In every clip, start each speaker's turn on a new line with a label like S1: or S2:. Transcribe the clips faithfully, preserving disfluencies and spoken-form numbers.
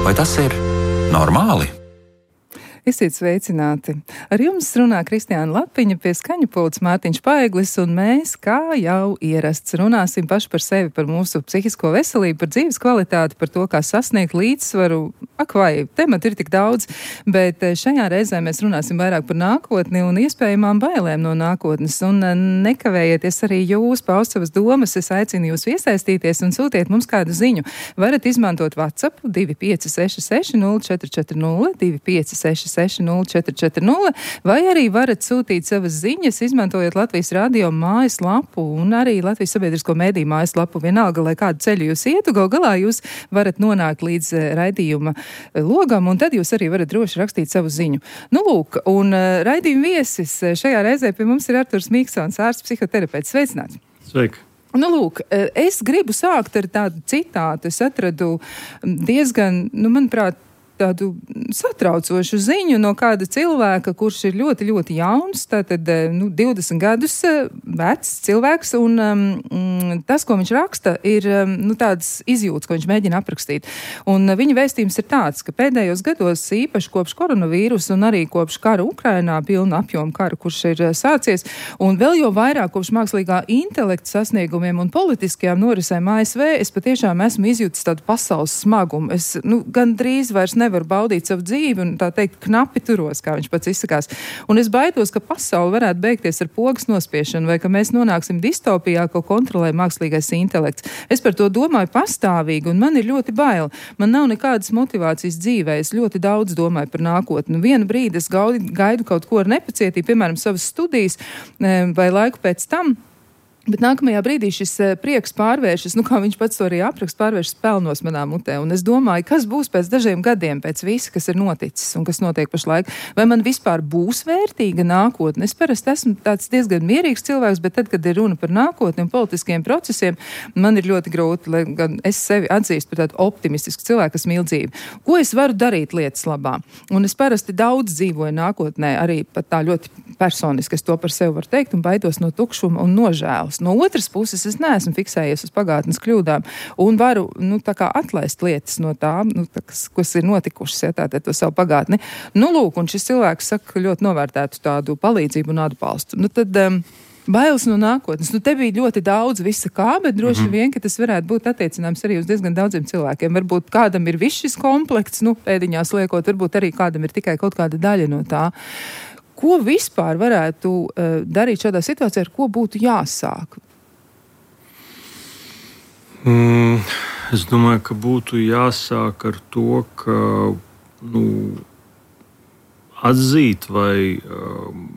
S1: Vai tas ir normāli?
S2: Esiet sveicināti! Ar jums runā Kristiāna Lapiņa, pie skaņu pults Mārtiņš Paeglis, un mēs, kā jau ierasts, runāsim paši par sevi, par mūsu psihisko veselību, par dzīves kvalitāti, par to, kā sasniegt līdzsvaru. Ak vai, temati ir tik daudz, bet šajā reizē mēs runāsim vairāk par nākotni un iespējamām bailēm no nākotnes. Un nekavējieties arī jūs paust savas domas, es aicinu jūs iesaistīties un sūtiet mums kādu ziņu. Varat izmantot WhatsApp divi pieci seši seši nulle četri četri nulle, divi pieci seši seši nulle četri četri nulle, vai arī varat sūtīt savas ziņas, izmantojot Latvijas radio mājaslapu un arī Latvijas sabiedrisko mediju mājaslapu. Vienalga, lai kādu ceļu jūs ietu, gal galā jūs varat nonākt līdz raidījuma logam, un tad jūs arī varat droši rakstīt savu ziņu. Nu, lūk, un raidījuma viesis šajā reizē pie mums ir Arturs Miksons, ārsts psihoterapeits. Sveicināts!
S3: Sveiki!
S2: Nu, lūk, es gribu sākt ar tādu citātu. Es atradu diezgan, nu, manuprāt, tādu satraucošu ziņu no kāda cilvēka, kurš ir ļoti, ļoti jauns, tātad, nu, divdesmit gadus vecs cilvēks, un um, tas, ko viņš raksta, ir, um, nu, tādas izjūtas, ko viņš mēģina aprakstīt. Un viņa vēstījums ir tāds, ka pēdējos gados, īpaši kopš koronavīrus un arī kopš kara Ukrainā, pilna apjoma kara, kurš ir sācies, un vēl jau vairāk kopš mākslīgā intelekta sasniegumiem un politiskajām norisēm A S V, es patiešām esmu izjūtis tādu pasaules smagumu. Es, nu, gan drīz vairs nevar baudīt savu dzīvi un tā teikt knapi turos, kā viņš pats izsakās. Un es baidos, ka pasaule varētu beigties ar pogas nospiešanu vai ka mēs nonāksim distopijā, ko kontrolē mākslīgais intelekts. Es par to domāju pastāvīgi un man ir ļoti bail. Man nav nekādas motivācijas dzīvē. Es ļoti daudz domāju par nākotni. Vienu brīdi es gaidu, gaidu kaut ko ar nepacietību, piemēram, savas studijas vai laiku pēc tam. Bet nākamajā brīdī šis prieks pārvēršas, nu kā viņš pats to arī apraksta, pārvēršas pelnos manā mutē. Un es domāju, kas būs pēc dažiem gadiem, pēc visa, kas ir noticis un kas notiek pašlaik. Vai man vispār būs vērtīga nākotne? Es parasti esmu tāds diezgan mierīgs cilvēks, bet tad, kad ir runa par nākotni un politiskiem procesiem, man ir ļoti grūti, lai gan es sevi atzīstu par tādu optimistisku cilvēku, kas mīl dzīvi. Ko es varu darīt lietas labā? Un es parasti daudz dzīvoju nākotnē, arī pat tā ļoti personiski, es to par sevi varu teikt, un baidos no tukšuma un nožēlas. No otras puses, es neesmu fiksējies uz pagātnes kļūdām un varu, nu, tā kā atlaist lietas no tā, nu, tā kas, kas ir notikušas, ja, tātad to savu pagātni. Nu, lūk, un šis cilvēks saka, ļoti novērtētu tādu palīdzību un atbalstu. Nu, tad um, bailes no nākotnes. Nu, te bija ļoti daudz visa kā, bet droši mm-hmm. vien, ka tas varētu būt attiecināms arī uz diezgan daudziem cilvēkiem. Varbūt kādam ir viss šis komplekts, nu, pēdiņās liekot, varbūt arī kādam ir tikai kaut kāda daļa no tā. Ko vispār varētu uh, darīt šādā situācijā, ar ko būtu jāsāk?
S3: Mm, es domāju, ka būtu jāsāk ar to, ka nu, atzīt vai um,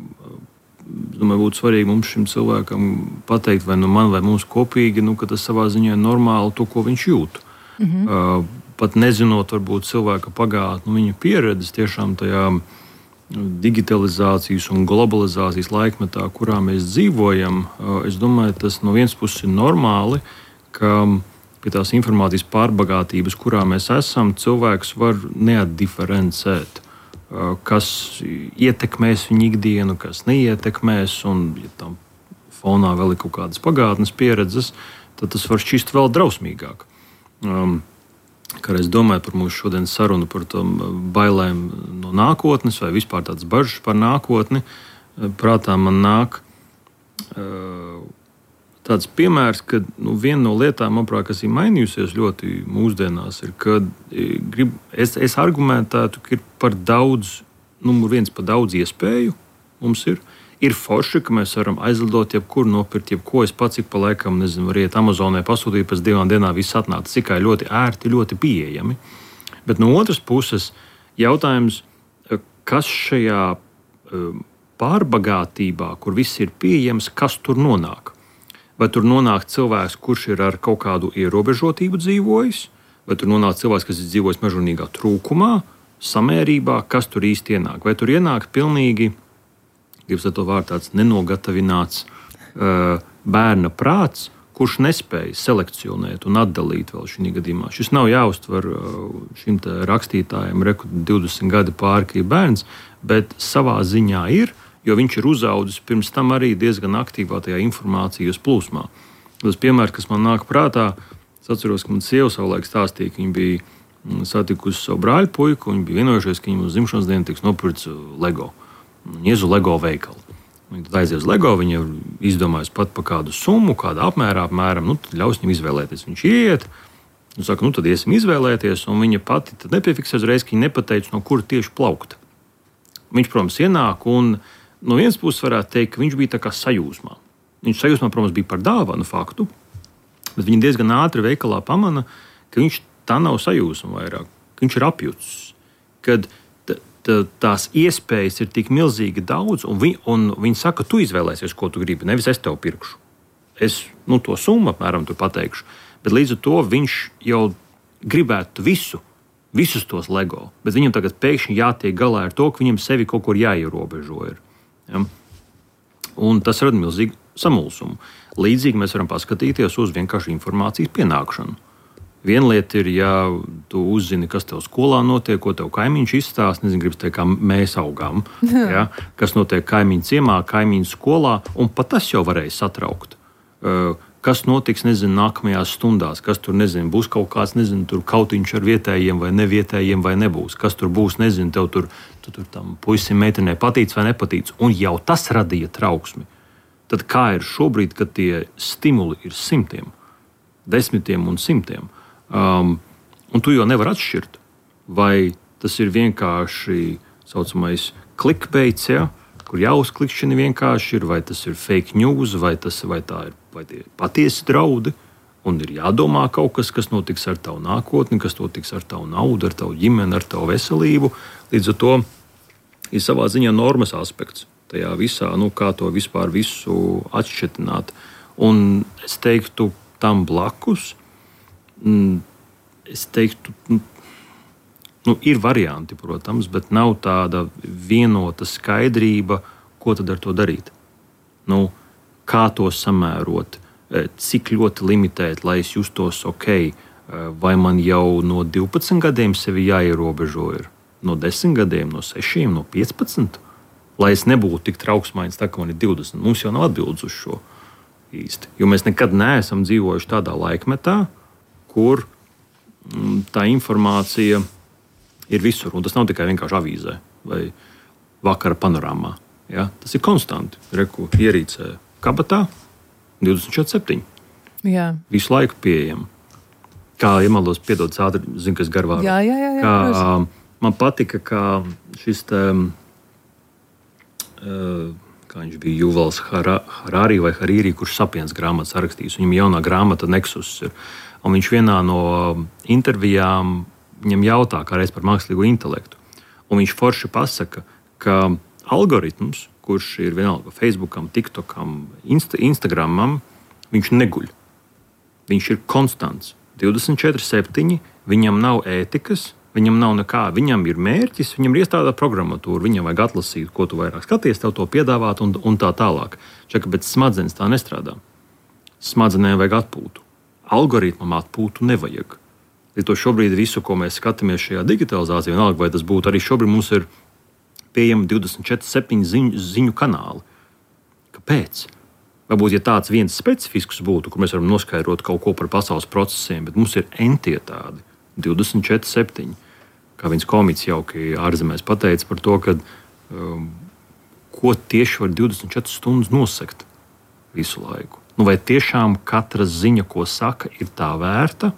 S3: domāju, būtu svarīgi mums šim cilvēkam pateikt, vai nu man vai mums kopīgi, nu, ka tas savā ziņā ir normāli to, ko viņš jūt. Mm-hmm. Uh, pat nezinot varbūt cilvēka pagātni, nu, viņa pieredzes tiešām tajā digitalizācijas un globalizācijas laikmetā, kurā mēs dzīvojam, es domāju, tas no vienas puses ir normāli, ka pie tās informācijas pārbagātības, kurā mēs esam, cilvēks var neatdiferencēt, kas ietekmēs viņu ikdienu, kas neietekmēs, un ja tam fonā vēl ir kaut kādas pagātnes pieredzes, tad tas var šķist vēl drausmīgāk. Um, Kad es domāju par mūsu šodienas sarunu par tām bailēm no nākotnes vai vispār tādas bažas par nākotni, prātā man nāk uh, tāds piemērs, ka nu, viena no lietām, manuprāt, kas ir mainījusies ļoti mūsdienās, ir, ka grib, es, es argumentētu, ka ir par daudz, numur viens par daudz iespēju mums ir. Ir forši, ka mēs varam aizlidot jebkur, nopirkt jebko. Es pats ik pa laikam, nezinu, var iet Amazonē, pasūtīt, pēc divām dienām viss atnāca. Tikai ļoti ērti, ļoti pieejami. Bet no otras puses, jautājums, kas šajā pārbagātībā, kur viss ir pieejams, kas tur nonāk? Vai tur nonāk cilvēks, kurš ir ar kaut kādu ierobežotību dzīvojis? Vai tur nonāk cilvēks, kas ir dzīvojis mežonīgā trūkumā, samērībā? Kas tur īsti ienāk? Vai tur ienāk pilnīgi... Gribas ar to vārdu tāds nenogatavināts uh, bērna prāts, kurš nespēja selekcionēt un atdalīt vēl šī gadījumā. Šis nav jāuztver šim rakstītājam, reku divdesmit gadi pāri, ka ir bērns, bet savā ziņā ir, jo viņš ir uzaudzis pirms tam arī diezgan aktīvā tajā informācijas plūsmā. Tas piemērs, kas man nāk prātā, es atceros, ka man sieva savulaik stāstīja, ka viņa bija satikusi savu brāļu puiku, un viņi bija vienojušies, ka viņam uz dzimšanas dienu tiks nopirkts Lego. Viņi ies uz Lego veikalu. Viņi tad aizies uz Lego, viņi jau izdomājas pat par kādu summu, kādā apmērā, apmēram, nu, tad ļaus viņam izvēlēties. Viņš iet, un saka, nu, tad iesim izvēlēties, un viņa pati tad nepiefiksē uzreiz, ka viņa nepateica, no kura tieši plaukt. Viņš, protams, ienāk, un no vienas puses varētu teikt, ka viņš bija tā kā sajūsmā. Viņš sajūsmā, protams, bija par dāvanu faktu, bet viņa diezgan ātri veikalā pamana, ka viņš tā nav sajūsma vairāk, ka viņš ir apjucis, kad tās iespējas ir tik milzīgi daudz, un, vi, un viņi saka, tu izvēlēsies, ko tu gribi, nevis es tev pirkšu. Es nu, to summu apmēram tur pateikšu, bet līdz ar to viņš jau gribētu visu, visus tos Lego, bet viņam tagad pēkšņi jātiek galā ar to, ka viņam sevi kaut kur jāierobežo ir. Ja? Un tas rada milzīgu samulsumu. Līdzīgi mēs varam paskatīties uz vienkārši informācijas pienākšanu. Viena lieta ir, ja tu uzzini, kas tev skolā notiek, ko tev kaimiņš izstāsta, nezinu, gribas teikt, kā mēs augām, ja? Kas notiek kaimiņu ciemā, kaimiņu skolā, un pat tas jau varēja satraukt. Kas notiks, nezinu, nākamajās stundās, kas tur, nezinu, būs kaut kāds, nezinu, tur kautiņš ar vietējiem vai nevietējiem vai nebūs, kas tur būs, nezinu, tev tur, tu tur tam puisim meitenei patīc vai nepatīc, un jau tas radīja trauksmi. Tad kā ir šobrīd, kad tie stimuli ir simtiem, desmitiem un simtiem, Um, un tu jau nevar atšķirt, vai tas ir vienkārši saucamais clickbaits, ja, kur jāuzklikšķina vienkārši ir, vai tas ir fake news, vai, tas, vai tā ir vai tie patiesi draudi, un ir jādomā kaut kas, kas notiks ar tavu nākotni, kas notiks ar tavu naudu, ar tavu ģimeni, ar tavu veselību. Līdz ar to ir savā ziņā normas aspekts tajā visā, nu, kā to vispār visu atšķetināt. Un es teiktu tam blakus, es teiktu, nu, ir varianti, protams, bet nav tāda vienota skaidrība, ko tad ar to darīt. Nu, kā to samērot, cik ļoti limitēt, lai es justos ok, vai man jau no divpadsmit gadiem sevi jāierobežo ir, no desmit gadiem, no sešiem, no piecpadsmit, lai es nebūtu tik trauksmains, tā kā man ir divdesmit. Mums jau nav atbildes uz šo īsti, jo mēs nekad neesam dzīvojuši tādā laikmetā, kur tā informācija ir visur. Un tas nav tikai vienkārši avīzē vai vakara panorāmā. Ja? Tas ir konstanti. Reku ierīcē kabatā divdesmit četri septiņi.
S2: Jā. Visu
S3: laiku pieejama. Kā iemaldos, piedod ātri, zinu, kas garvā.
S2: Jā, jā, jā. jā
S3: kā, man patika, kā šis te, kā viņš bija Juvals Harari vai Hariri, kurš Sapiens grāmatas rakstījis. Viņam jaunā grāmata Nexus ir. Un viņš vienā no intervijām viņam jautā, kā reiz par mākslīgo intelektu. Un viņš forši pasaka, ka algoritms, kurš ir vienalga Facebookam, TikTokam, Insta, Instagramam, viņš neguļ. Viņš ir konstants. divdesmit četri septiņi, viņam nav ētikas, viņam nav nekā. Viņam ir mērķis, viņam ir iestrādāta programmatūra, viņam vajag atlasīt, ko tu vairāk skaties, tev to piedāvāt un, un tā tālāk. Čaka, bet smadzenes tā nestrādā. Smadzenēm vajag atpūtu. Algoritmam atpūtu nevajag. Līdz to šobrīd visu, ko mēs skatāmies šajā digitalizācijā, vienalga, vai tas būtu arī šobrīd mums ir pieejami divdesmit četri septiņi ziņu, ziņu kanāli. Kāpēc? Varbūt, ja tāds viens specifisks būtu, kur mēs varam noskaidrot kaut ko par pasaules procesiem, bet mums ir entie tādi divdesmit četri septiņi. Kā viens komiķis jauki ārzemēs pateica par to, ka um, ko tieši var divdesmit četras stundas nosegt visu laiku. Nu, vai tiešām katra ziņa, ko saka, ir tā vērta,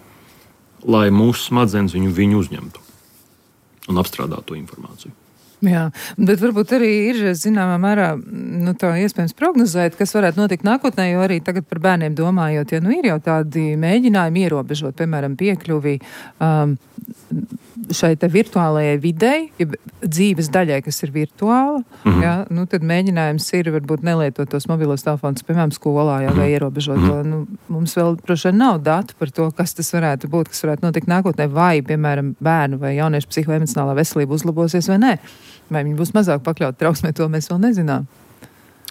S3: lai mūsu smadzenes viņu, viņu uzņemtu un apstrādātu to informāciju?
S2: Jā, bet varbūt arī ir zināmā mērā nu, tā iespējams prognozēt, kas varētu notikt nākotnē, jo arī tagad par bērniem domājot, ja nu ir jau tādi mēģinājumi ierobežot, piemēram, piekļuvi um, šai te virtuālajai videi, ja dzīves daļai, kas ir virtuāla, mm-hmm. ja, nu, tad mēģinājums ir varbūt nelietot tos mobilos telefonus, piemēram, skolā, ja, vai ierobežot mm-hmm. to. Nu, mums vēl droši vien nav datu par to, kas tas varētu būt, kas varētu notikt nākotnē, vai, piemēram, bērnu vai jauniešu psihoemocionālā veselība uzlabosies vai nē. Vai viņi būs mazāk pakļauti trauksmē, to mēs vēl nezinām.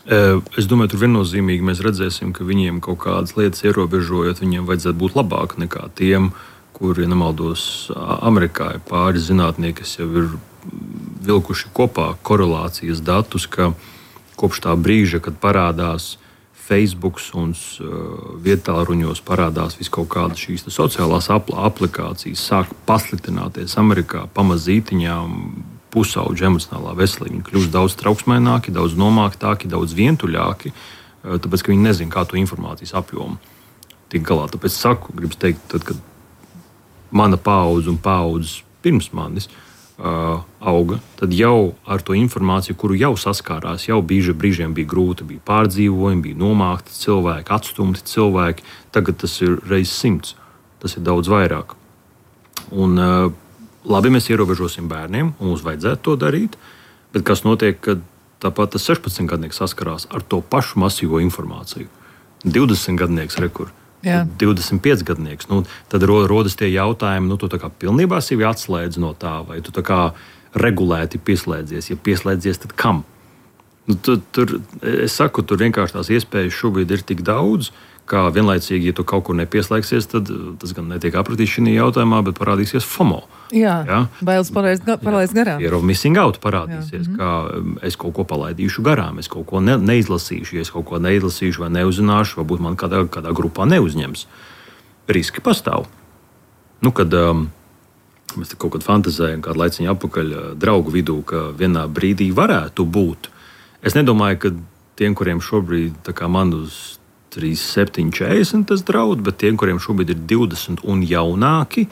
S3: Es domāju, tur viennozīmīgi mēs redzēsim, ka viņiem kaut kādas lietas ierobežojot, viņiem vajadzētu būt labāk nekā tiem, kuri, ja nemaldos, Amerikā ir pāris zinātnieki, kas jau ir vilkuši kopā korelācijas datus, ka kopš tā brīža, kad parādās Facebook un uh, vietāluņos parādās vis kaut kādas šīs sociālās apl aplikācijas, sāk pasliktināties Amerikā pamazītiņām pusauģu emocionālā veselība. Viņi kļūst daudz trauksmaināki, daudz nomāktāki, daudz vientuļāki, uh, tāpēc, ka viņi nezin, kā to informācijas apjomu tik galā. Tāpēc saku, gribu teikt, tad, kad mana paudze un paudzes pirms manis Uh, auga, tad jau ar to informāciju, kuru jau saskārās, jau bieži brīžiem bija grūti, bija pārdzīvojumi, bija nomākti cilvēki, atstumti cilvēki. Tagad tas ir reiz simts. Tas ir daudz vairāk. Un, uh, labi, mēs ierobežosim bērniem, un mums vajadzētu to darīt, bet kas notiek, kad tāpat tas sešpadsmitgadnieks saskarās ar to pašu masīvo informāciju? divdesmitgadnieks rekur. Jā. divdesmitpiecgadnieks. Nu, tad rodas tie jautājumi, nu, tu tā kā pilnībā sevi atslēdz no tā, vai tu tā kā regulēti pieslēdzies. Ja pieslēdzies, tad kam? Nu, tu, tur, es saku, tur vienkārši tās iespējas šobrīd ir tik daudz, ka vienlaicīgi, ja tu kaut kur nepieslēgsies, tad tas gan netiek apratīts šī jautājumā, bet parādīsies FOMO.
S2: Jā, jā? Bailes palaist garām.
S3: Fear of missing out parādīsies, jā. Ka es kaut ko palaidīšu garām, es kaut ko ne, neizlasīšu, ja es kaut ko neizlasīšu vai neuzzināšu, varbūt man kādā, kādā grupā neuzņems. Riski pastāv. Nu, kad um, mēs kaut kad fantazējam, kādu laiciņu apakaļ draugu vidū, ka vienā brīdī varētu būt. Es nedomāju, ka tiem, kuriem šobrīd tā kā man uz trīs, septiņi, četrdesmit tas draud, bet tiem, kuriem šobrīd ir divdesmit un jaunāki,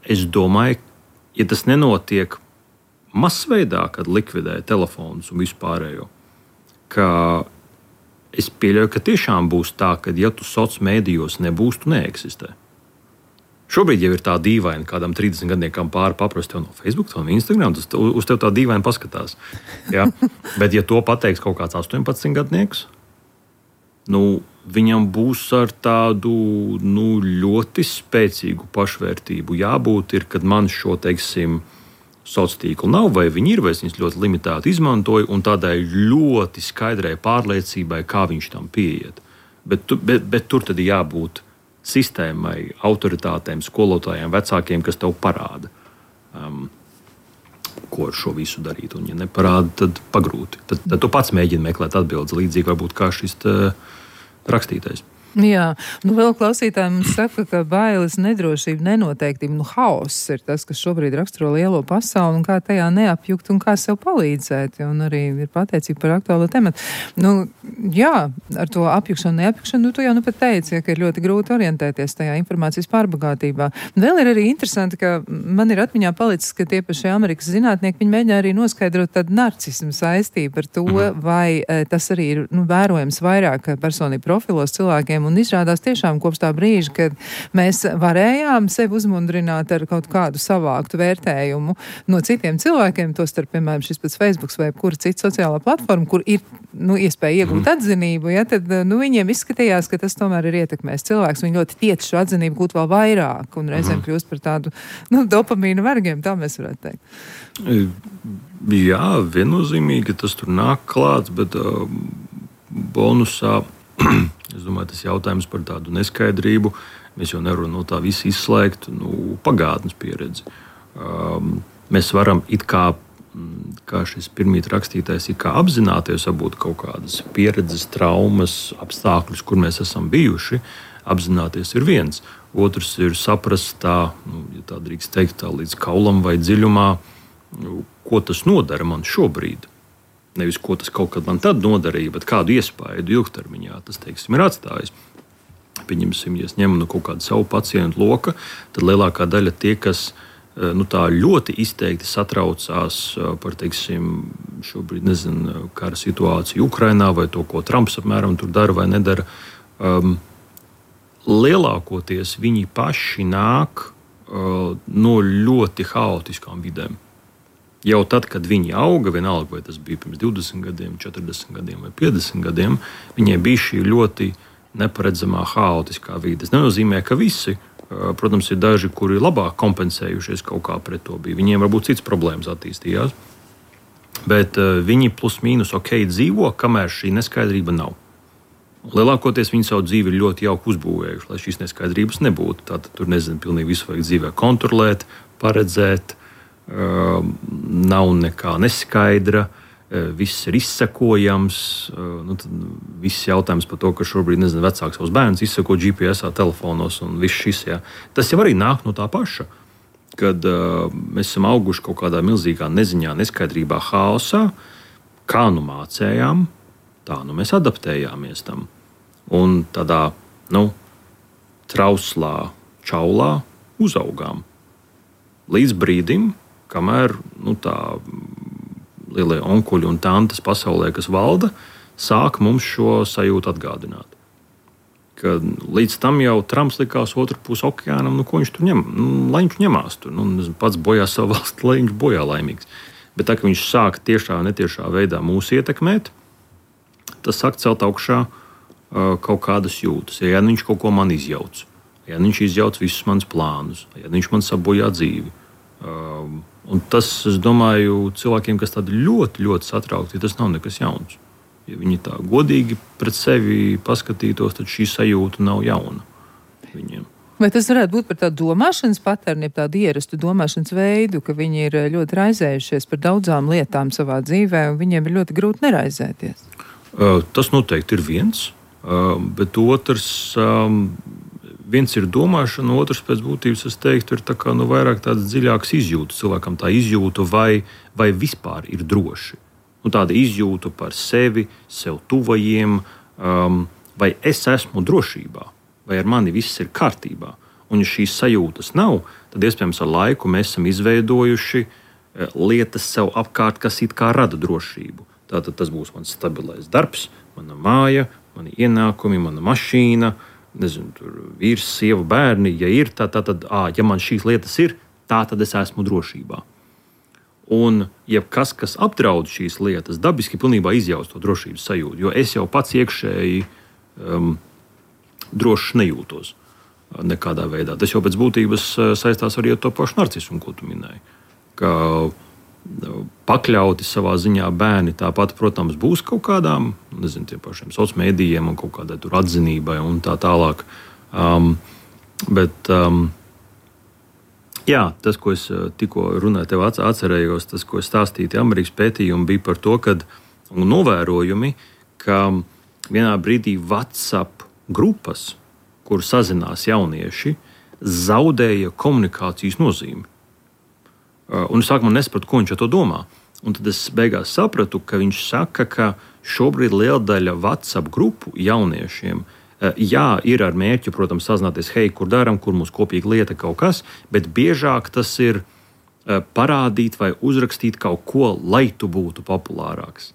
S3: es domāju, ja tas nenotiek masveidā, kad likvidē telefonus un vispārējo, ka es pieļauju, ka tiešām būs tā, ka ja tu soc mēdījos nebūs, tu neeksistē. Šobrīd jau ir tā dīvaina, kādam trīsdesmitgadniekam pāri paprast tev no Facebook, no Instagram, tas uz tev tā dīvaini paskatās. Ja? Bet ja to pateiks kaut kāds astoņpadsmitgadnieks, nu, viņam būs ar tādu nu, ļoti spēcīgu pašvērtību jābūt, ir, kad man šo, teiksim, sociālo tīklu nav, vai viņi ir, vai es viņus ļoti limitēti izmantoju, un tādai ļoti skaidrai pārliecībai, kā viņš tam pieiet. Bet, tu, bet, bet tur tad jābūt sistēmai, autoritātēm, skolotājiem, vecākiem, kas tev parāda, um, ko ar šo visu darīt. Un, ja neparāda, tad pagrūti. Tad, tad tu pats mēģini meklēt atbildes, līdzīgi varbūt kā šis tā, rakstītais.
S2: Jā, nu vēl klausītājiem mums saka, ka bailes, nedrošība, nenoteiktība, nu haoss ir tas, kas šobrīd raksturo lielo pasauli un kā tajā neapjukt un kā sev palīdzēt, un arī ir pateicība par aktuālo tematu. Nu, jā, ar to apjukšanu, neapjukšanu, nu tu jau nu pat teici, ja, ka ir ļoti grūti orientēties tajā informācijas pārbagātībā. Vēl ir arī interesanti, ka man ir atmiņā palicis, ka tie paši Amerikas zinātnieki, viņi mēģina arī noskaidrot tādu narcismu saistību ar to, vai tas arī ir, nu, vērojams vairāk personību profilos cilvēkiem. Un izrādās tiešām kopš tā brīža, kad mēs varējām sevi uzmundrināt ar kaut kādu savāktu vērtējumu no citiem cilvēkiem, to starp, piemēram, šis pats Facebook vai kura cita sociālā platforma, kur ir nu, iespēja iegūt atzinību, ja, tad nu, viņiem izskatījās, ka tas tomēr ir ietekmējis cilvēks. Viņi ļoti tiec šo atzinību gūt vēl vairāk un reizēm kļūst par tādu nu, dopamīnu vergiem, tā mēs varētu teikt.
S3: Jā, viennozīmīgi tas tur nāk klāts, bet uh, bonusā es domāju, tas jautājums par tādu neskaidrību. Mēs jau nevaram no tā visu izslēgt nu, pagātnes pieredzi. Um, mēs varam it kā, kā šis pirmīt rakstītājs, it kā apzināties varbūt kaut kādas pieredzes, traumas, apstākļus, kur mēs esam bijuši. Apzināties ir viens. Otrs ir saprast tā, nu, ja tā drīkst teikt, tā līdz kaulam vai dziļumā, nu, ko tas nodara man šobrīd. Nevis, ko tas kaut kad man tad nodarīja, bet kādu iespaidu ilgtermiņā tas, teiksim, ir atstājis. Pieņemsim, ja es ņemu no kaut kādu savu pacientu loka, tad lielākā daļa tie, kas nu, tā ļoti izteikti satraucās par, teiksim, šobrīd, nezinu, kara situāciju Ukrainā vai to, ko Trumps apmēram tur dara vai nedara, um, lielākoties viņi paši nāk uh, no ļoti haotiskām vidēm. Jau tad, kad viņi auga, vienalga, vai tas bija pirms divdesmit gadiem, četrdesmit gadiem vai piecdesmit gadiem, viņiem bija šī ļoti neparedzamā, haotiskā vide. Tas nenozīmē, ka visi, protams, ir daži, kuri labāk kompensējušies kaut kā pret to bija. Viņiem varbūt cits problēmas attīstījās, bet viņi plus mīnus ok dzīvo, kamēr šī neskaidrība nav. Lielākoties viņi savu dzīvi ir ļoti jauki uzbūvējuši, lai šīs neskaidrības nebūtu. Tātad tur, nezinu, pilnīgi visu vajag dzīvē kontrolēt, paredzēt, Uh, nav nekā neskaidra, viss ir izsekojams. Nu, viss jautājums par to, ka šobrīd nezinu, vecāks savus bērnus izseko G P S telefonos un viss šis. Jā. Tas jau arī nāk no tā paša. Kad uh, mēs esam auguši kaut kādā milzīgā neziņā, neskaidrībā, haosā, kā nu mācējām, tā nu mēs adaptējāmies tam. Un tādā nu, trauslā, čaulā uzaugām. Līdz brīdim, kamēr nu, tā lielie onkuļi un tantes pasaulē, kas valda, sāk mums šo sajūtu atgādināt. Kad līdz tam jau Trumps likās otru pusi okeānam, nu, ko viņš tur ņem, nu, lai viņš ņemās tur. Nu, pats bojā savu valsti, lai viņš bojā laimīgs. Bet tā, ka viņš sāk tiešā vai netiešā veidā mūs ietekmēt, tas sāk celt augšā uh, kaut kādas jūtas. Ja nu viņš kaut ko man izjauc, ja nu viņš izjauc visus manus plānus, ja nu viņš man sabojā dzīvi. Uh, un tas, es domāju, cilvēkiem, kas tādi ļoti, ļoti satraukti, tas nav nekas jauns. Ja viņi tā godīgi pret sevi paskatītos, tad šī sajūta nav jauna viņiem.
S2: Vai tas varētu būt par tādu domāšanas paterni, tādu ierastu domāšanas veidu, ka viņi ir ļoti raizējušies par daudzām lietām savā dzīvē, un viņiem ir ļoti grūti neraizēties?
S3: Uh, tas noteikti ir viens, uh, bet otrs... Um, Viens ir domāšana, otrs pēc būtības, es teiktu, ir tā kā, nu, vairāk tādas dziļākas izjūtas. Cilvēkam tā izjūta, vai, vai vispār ir droši. Nu, tāda izjūta par sevi, sev tuvajiem, um, vai es esmu drošībā, vai ar mani viss ir kārtībā. Un, ja šīs sajūtas nav, tad iespējams ar laiku mēs esam izveidojuši lietas sev apkārt, kas it kā rada drošību. Tātad tas būs mans stabilais darbs, mana māja, mani ienākumi, mana mašīna. Nezinu, tur vīrs, sieva, bērni, ja ir, tā, tā, tad, ā, ja man šīs lietas ir, tā tad es esmu drošībā. Un jebkas, kas apdraud šīs lietas, dabiski pilnībā izjauc to drošības sajūtu, jo es jau pats iekšēji um, drošs nejūtos nekādā veidā. Tas jau pēc būtības saistās arī ar to pašu narcismu, ko tu minēji. Ka pakļauti savā ziņā bērni tāpat, protams, būs kaut kādām, nezinu, tiem pašiem sociāliem mēdījiem un kaut kādai tur atzinībai un tā tālāk. Um, bet, um, jā, tas, ko es tikko runāju, tev atcerējos, tas, ko es stāstīju, Amerikas pētījumi bija par to, kad novērojumi, ka vienā brīdī WhatsApp grupas, kur sazinās jaunieši, zaudēja komunikācijas nozīmi. Un es sākumā nesapratu, ko viņš ar to domā. Un tad es beigās sapratu, ka viņš saka, ka šobrīd liela daļa WhatsApp grupu jauniešiem, jā, ir ar mērķi, protams, sazināties, hei, kur darām, kur mums kopīga lieta kaut kas, bet biežāk tas ir parādīt vai uzrakstīt kaut ko, lai tu būtu populārāks.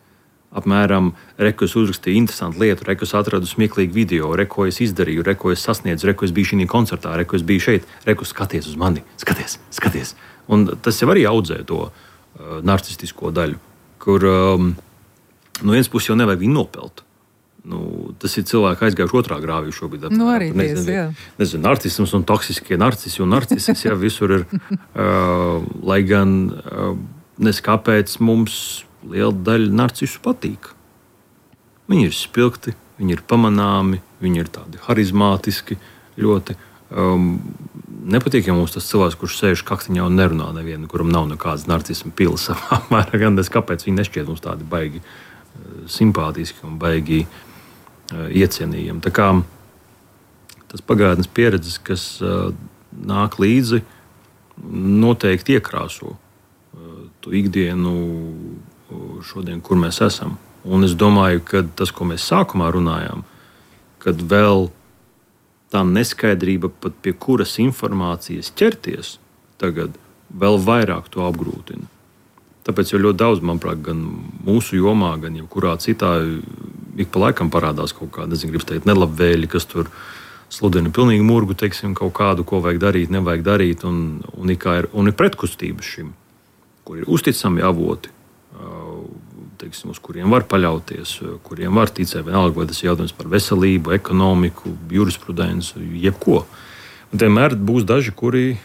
S3: Apmēram, re, ko es uzrakstīju interesantu lietu, re, ko es atradu smieklīgu video, re, ko es izdarīju, re, ko es sasniedzu, re, ko es biju šī koncertā, re, ko es biju šeit, re, ko skaties uz mani, skaties, skaties. Un tas jau arī audzē to uh, narcistisko daļu, kur um, no vienas puses jau nevajag viņu nopelt. Nu, tas ir cilvēki aizgājuši otrā grāvī šobrīd.
S2: Nu, arī ties, jā.
S3: Nezinu, narcisms un toksiskie narcisi un narcisis, jā, visur ir. Uh, lai gan uh, nes kāpēc mums liela daļa narcisu patīk. Viņi ir spilgti, viņi ir pamanāmi, viņi ir tādi harizmātiski ļoti. Um, Nepatīk, ja mums tas cilvēks, kurš sēž kaktiņā un nerunā nevienu, kuram nav nekādas narcisma pilas savā mērā, gan es, kāpēc viņi nešķiet mums tādi baigi uh, simpātiski un baigi uh, iecienījami. Tā kā tas pagātnes pieredzes, kas uh, nāk līdzi, noteikti iekrāso uh, to ikdienu uh, šodien, kur mēs esam. Un es domāju, ka tas, ko mēs sākumā runājām, kad vēl tā neskaidrība, pat pie kuras informācijas ķerties, tagad vēl vairāk to apgrūtina. Tāpēc jau ļoti daudz, manuprāt, gan mūsu jomā, gan jebkurā citā, ik pa laikam parādās kaut kāda, nezinu, gribas teikt, nelabvēļi, kas tur sludina pilnīgi murgu, teiksim, kaut kādu, ko vajag darīt, nevajag darīt, un, un, ir, un ir pretkustība šim, kur ir uzticami avoti, teiksim, uz kuriem var paļauties, kuriem var ticēt, vienalga, vai tas ir jautājums par veselību, ekonomiku, jurisprudenci, jebko. Un vienmēr būs daži, kuri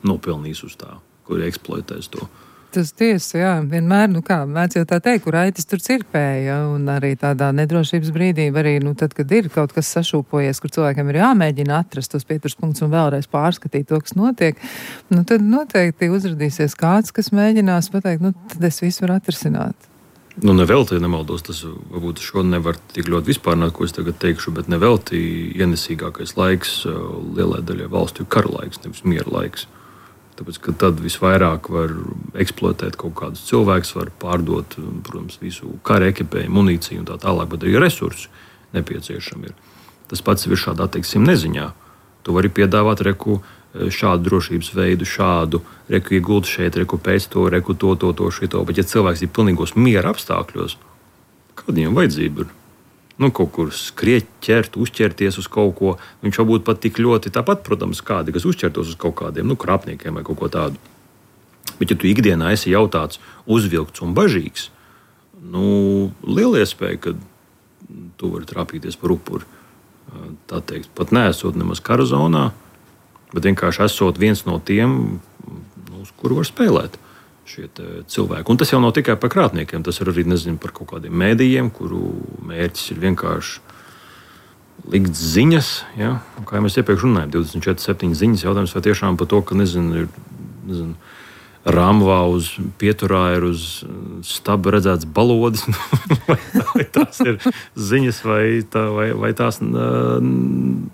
S3: nopelnīs uz tā, kuri eksploatēs to.
S2: Tas tiesa, jā, vienmēr, nu kā, mēdz jau tā teikt, kur aitis tur cirpēja, un arī tādā nedrošības brīdī, arī, nu, tad, kad ir kaut kas sašūpojies, kur cilvēkiem ir jāmēģina atrast tos pieturas punktus un vēlreiz pārskatīt to, kas notiek, nu, tad noteikti uzradīsies kāds, kas mēģinās pateikt, nu, tad es visu varu atrisināt.
S3: Nu, nevelti, nemaldos, tas varbūt šo nevar tik ļoti vispārnāt, ko es tagad teikšu, bet nevelti ienesīgākais laiks lielai daļai valstu ir kara laiks, nevis miera laiks. Tāpēc, ka tad visvairāk var eksploatēt kaut kādus cilvēkus, var pārdot, protams, visu kara ekipēju, munīciju un tā tālāk, bet arī resursi nepieciešami ir. Tas pats ir šādā, teiksim, neziņā. Tu vari piedāvāt reku šādu drošības veidu, šādu reku ieguldu šeit, reku pēc to, reku to, to, to, šito. Bet ja cilvēks ir pilnīgos miera apstākļos, kāda viņam vajadzība ir? Nu, kaut kur skriet, ķert, uzķerties uz kaut ko. Viņš varbūt pat tik ļoti tāpat, protams, kādi, kas uzķertos uz kaut kādiem, nu, krāpniekiem vai kaut ko tādu. Bet, ja tu ikdienā esi jautāts, uzvilkts un bažīgs, nu, liela iespēja, ka tu vari trāpīties par upuri. Tā teikt, pat neesot nemaz kara zonā, bet vienkārši esot viens no tiem, nu, uz kuru var spēlēt šie cilvēki. Un tas jau nav tikai par krāpniekiem, tas ir arī, nezinu, par kaut kādiem mēdījiem, kuru mērķis ir vienkārši likt ziņas, ja? Un kā jau mēs iepriekš runājam, divdesmit četri septiņi ziņas jautājums, vai tiešām par to, ka, nezinu, ir, nezinu, Rāmvā uz pieturā ir uz staba redzēts balodis, vai, vai tās ir ziņas, vai, tā, vai, vai tās n,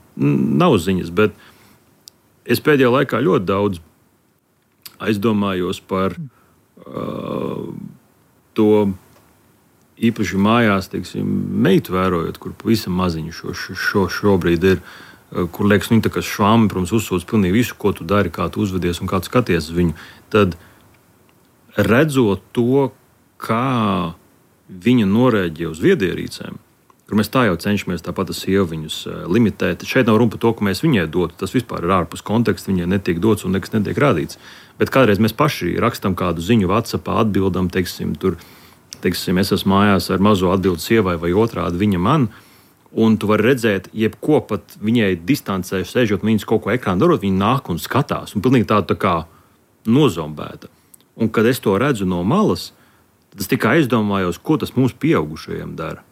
S3: nav ziņas, bet es pēdējā laikā ļoti daudz aizdomājos par uh, to īpaši mājās, teiksim, meitu vērojot, kur pavisam maziņu šo, šo šobrīd ir, uh, kur liekas, nu, tā kā švāmi, protams, uzsūdz pilnīgi visu, ko tu dari, kā tu uzvedies un kā tu skaties uz viņu, tad redzot to, kā viņa norēģē uz viedierīcēm, kur mēs tā jau cenšamies tāpat ar sievu viņus limitēt. Šeit nav runa par to, ka mēs viņai dotu. Tas vispār ir ārpus konteksta, viņai netiek dots un nekas netiek rādīts. Bet kādreiz mēs paši rakstam kādu ziņu WhatsAppā, atbildam, teiksim, tur, teiksim, es esmu mājās ar mazo atbildu sievai vai otrādi viņa man, un tu vari redzēt, jebko pat viņai distancē, sēžot viņas kaut ko ekrānu darot, viņa nāk un skatās, un pilnīgi tāda tā kā nozombēta. Un kad es to redzu no malas, tad es tikai aizdomājos, ko tas mums pieaugušajiem dara.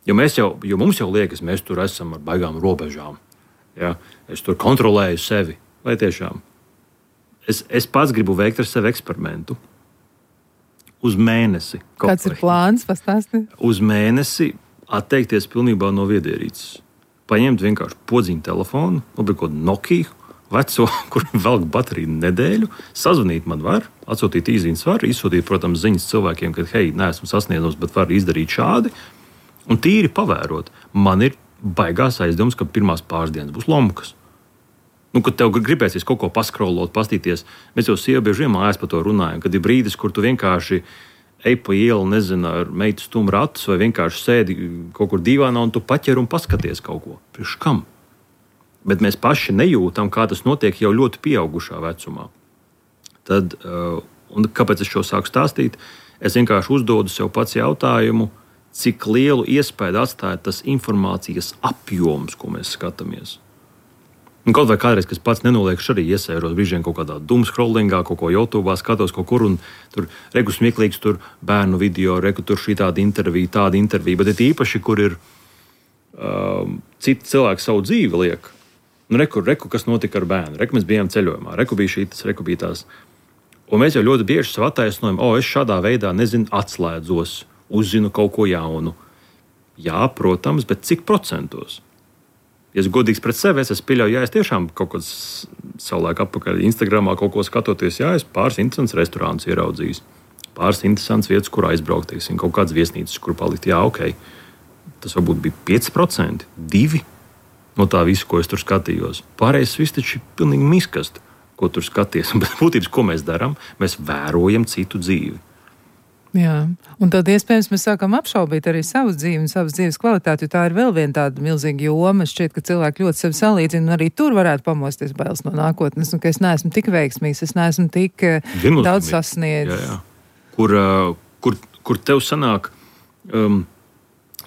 S3: Jo, mēs jau, jo mums jau liekas, mēs tur esam ar baigām robežām. Ja? Es tur kontrolēju sevi. Vai tiešām? Es, es pats gribu veikt ar sevi eksperimentu. Uz mēnesi.
S2: Kāds ir plāns? Pastāsti.
S3: Uz mēnesi atteikties pilnībā no viedierīces. Paņemt vienkārši podziņu telefonu, labi kaut Nokia veco, kur velk bateriju nedēļu, sazvanīt man var, atsūtīt īziņas var, izsūtīt, protams, ziņas cilvēkiem, ka, hei, neesmu sasniedzams, bet var izdarīt šādi. Un tīri pavērot, man ir baigās aizdoms, ka pirmās pāris dienas būs lomkas. Nu, kad tev gribēsies kaut ko paskrolot, pastīties, mēs jau sievu bieži vien mājās par to runājam, kad ir brīdis, kur tu vienkārši ej pa ielu, nezinu, ar meitu stum ratus vai vienkārši sēdi kaut kur dīvānā un tu paķer un paskaties kaut ko. Priekš kam? Bet mēs paši nejūtam, kā tas notiek jau ļoti pieaugušā vecumā. Tad, un kāpēc es šo sāku stāstīt? Es vienkārši uzdodu sev pats jautājumu, cik lielu iespēju atstāja tas informācijas apjoms, ko mēs skatāmies. Un kaut vai kādreiz, kas pats nenoliekšu, arī iesēros brīžiem kaut kādā doomscrollingā, kaut ko YouTube'ā skatos kaut kur, un tur reku smieklīgs tur bērnu video, reku tur šī tāda intervija, tāda intervija, bet ir īpaši, kur ir um, citi cilvēki savu dzīvi liek. Nu, reku, reku, kas notika ar bērnu, reku mēs bijām ceļojumā, reku bija šītas, reku bija tās. Un mēs jau ļoti bieži sev attaisnojam, o, es šādā veidā, nezinu, atslēdzos, uzzinu kaut ko jaunu. Jā, protams, bet cik procentos? Ja es godīgs pret sevi, es pieļauju, ja es tiešām kaut kāds savulaik atpakaļ Instagramā kaut ko skatoties, jā, es pāris interesants restorāns ieraudzījis, pāris interesants vietas, kur aizbraukt, teiksim, kaut kāds viesnīcas, kur palikt, jā, ok. Tas varbūt bija pieci procenti, divi no tā visu, ko es tur skatījos. Pārējais viss taču ir pilnīgi miskast, ko tur skaties. Bet būtības, ko mēs darām, mēs vērojam citu dzīvi.
S2: Jā, un tad iespējams mēs sākam apšaubīt arī savu dzīvi un savas dzīves kvalitāti, jo tā ir vēl viena tāda milzīga joma. Šķiet, ka cilvēki ļoti sevi salīdzina, un arī tur varētu pamosties bailes no nākotnes, un ka es neesmu tik veiksmīgs, es neesmu tik Viennozīmīgi. Daudz sasniedzis.
S3: Jā, jā. Kur, kur, kur tev sanāk, um,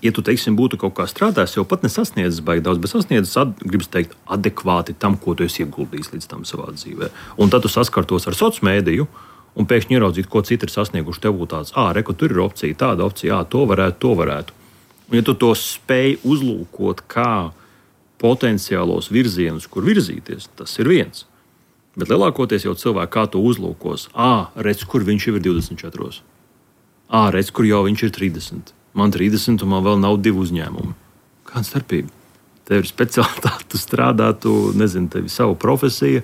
S3: ja tu, teiksim, būtu kaut kā strādājis, jau pat nesasniedzis baigi daudz, bet sasniedzis, ad, gribas teikt, adekvāti tam, ko tu esi ieguldījis līdz tam savā dzīvē. Un tad tu saskartos ar sociālo mēdīju, un pēkšņi ieraudzīt, ko citi ir sasnieguši, tev būtu tāds, ā, reku, tur ir opcija, tāda opcija, ā, to varētu, to varētu. Un ja tu to spēj uzlūkot kā potenciālos virzienus, kur virzīties, tas ir viens. Bet lielākoties jau cilvēki kā to uzlūkos, ā, redz, kur viņš jau ir divdesmit četros. Ā, redz, kur jau viņš ir trīsdesmit. Man trīsdesmit, un man vēl nav divi uzņēmumi. Kāda starpība? Tev ir speciālitāte, tu strādā, tu, nezinu, tev ir sava profesija,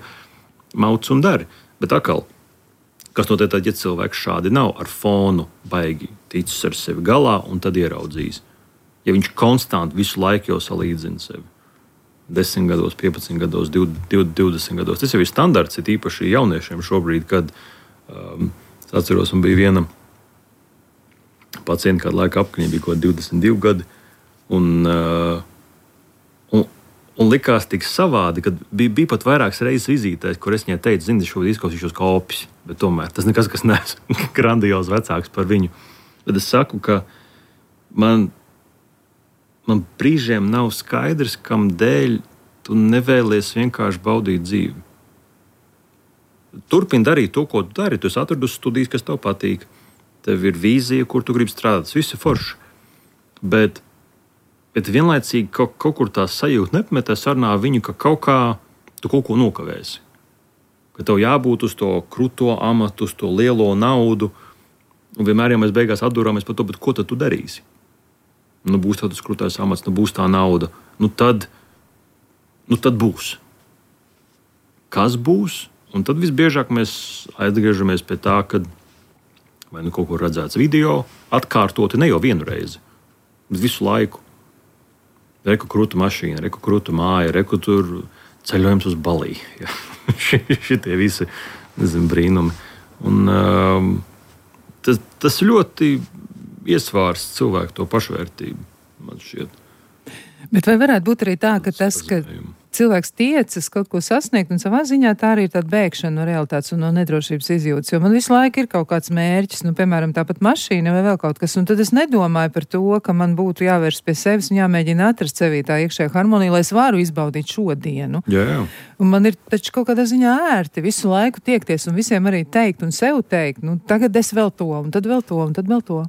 S3: mauc un dari. Bet atkal, kas notiek tad, ja cilvēks šādi nav, ar fonu baigi ticis ar sevi galā un tad ieraudzīs? Ja viņš konstanti visu laiku jau salīdzina sevi. desmit gados, piecpadsmit gados, divdesmit gados. Tas jau ir standarts, ir īpaši jauniešiem šobrīd, kad um, es atceros, un bija viena pacienta, kāda laika apkaņa bija kaut divdesmit divi gadi, un, uh, un, un likās tik savādi, kad bija, bija pat vairākas reizes vizītēs, kur es viņai teicu, zini, es šobrīd izklausīšos kā opis, bet tomēr tas nekas, kas neesmu grandios vecāks par viņu. Bet es saku, ka man Man brīžiem nav skaidrs, kam dēļ tu nevēlies vienkārši baudīt dzīvi. Turpini darīt to, ko tu dari. Tu esi atradus studijas, kas tev patīk. Tev ir vīzija, kur tu gribi strādāt. Tas viss ir forši. Bet, bet vienlaicīgi kaut, kaut kur tā sajūta nepametē sarunā viņu, ka kaut kā tu kaut ko nokavēsi. Ka tev jābūt uz to kruto amatu, uz to lielo naudu. Un vienmēr jau mēs beigās atdurāmies par to, bet ko tad tu darīsi? Nu, būs tāds krūtais amats, nu, būs tā nauda. Nu, tad, nu, tad būs. Kas būs? Un tad visbiežāk mēs atgriežamies pie tā, ka vai nu kaut kur redzēts video, atkārtoti ne jau vienu reizi, bet visu laiku. Reku krūta mašīna, reku krūta māja, reku tur ceļojums uz Balī. Ja. Šitie visi, nezinu, brīnumi. Un um, tas, tas ļoti iesvārst cilvēku to pašvērtību, man šķiet.
S2: Bet vai varētu būt arī tā, ka tas, ka cilvēks tiecas kaut ko sasniegt, un savā ziņā tā arī ir tāda bēgšana no realitātes un no nedrošības izjūtas, jo man visu laiku ir kaut kāds mērķis, nu, piemēram, tāpat mašīna vai vēl kaut kas, un tad es nedomāju par to, ka man būtu jāvērš pie sevis un jāmēģina atrast sevī tā iekšējā harmonija, lai es varu izbaudīt šodienu.
S3: Jā, jā. Un
S2: man ir taču kaut kādā ziņā ērti visu laiku tiekties un visiem arī teikt un sev teikt, nu, tagad es vēl to, un tad vēl to, un tad vēl to.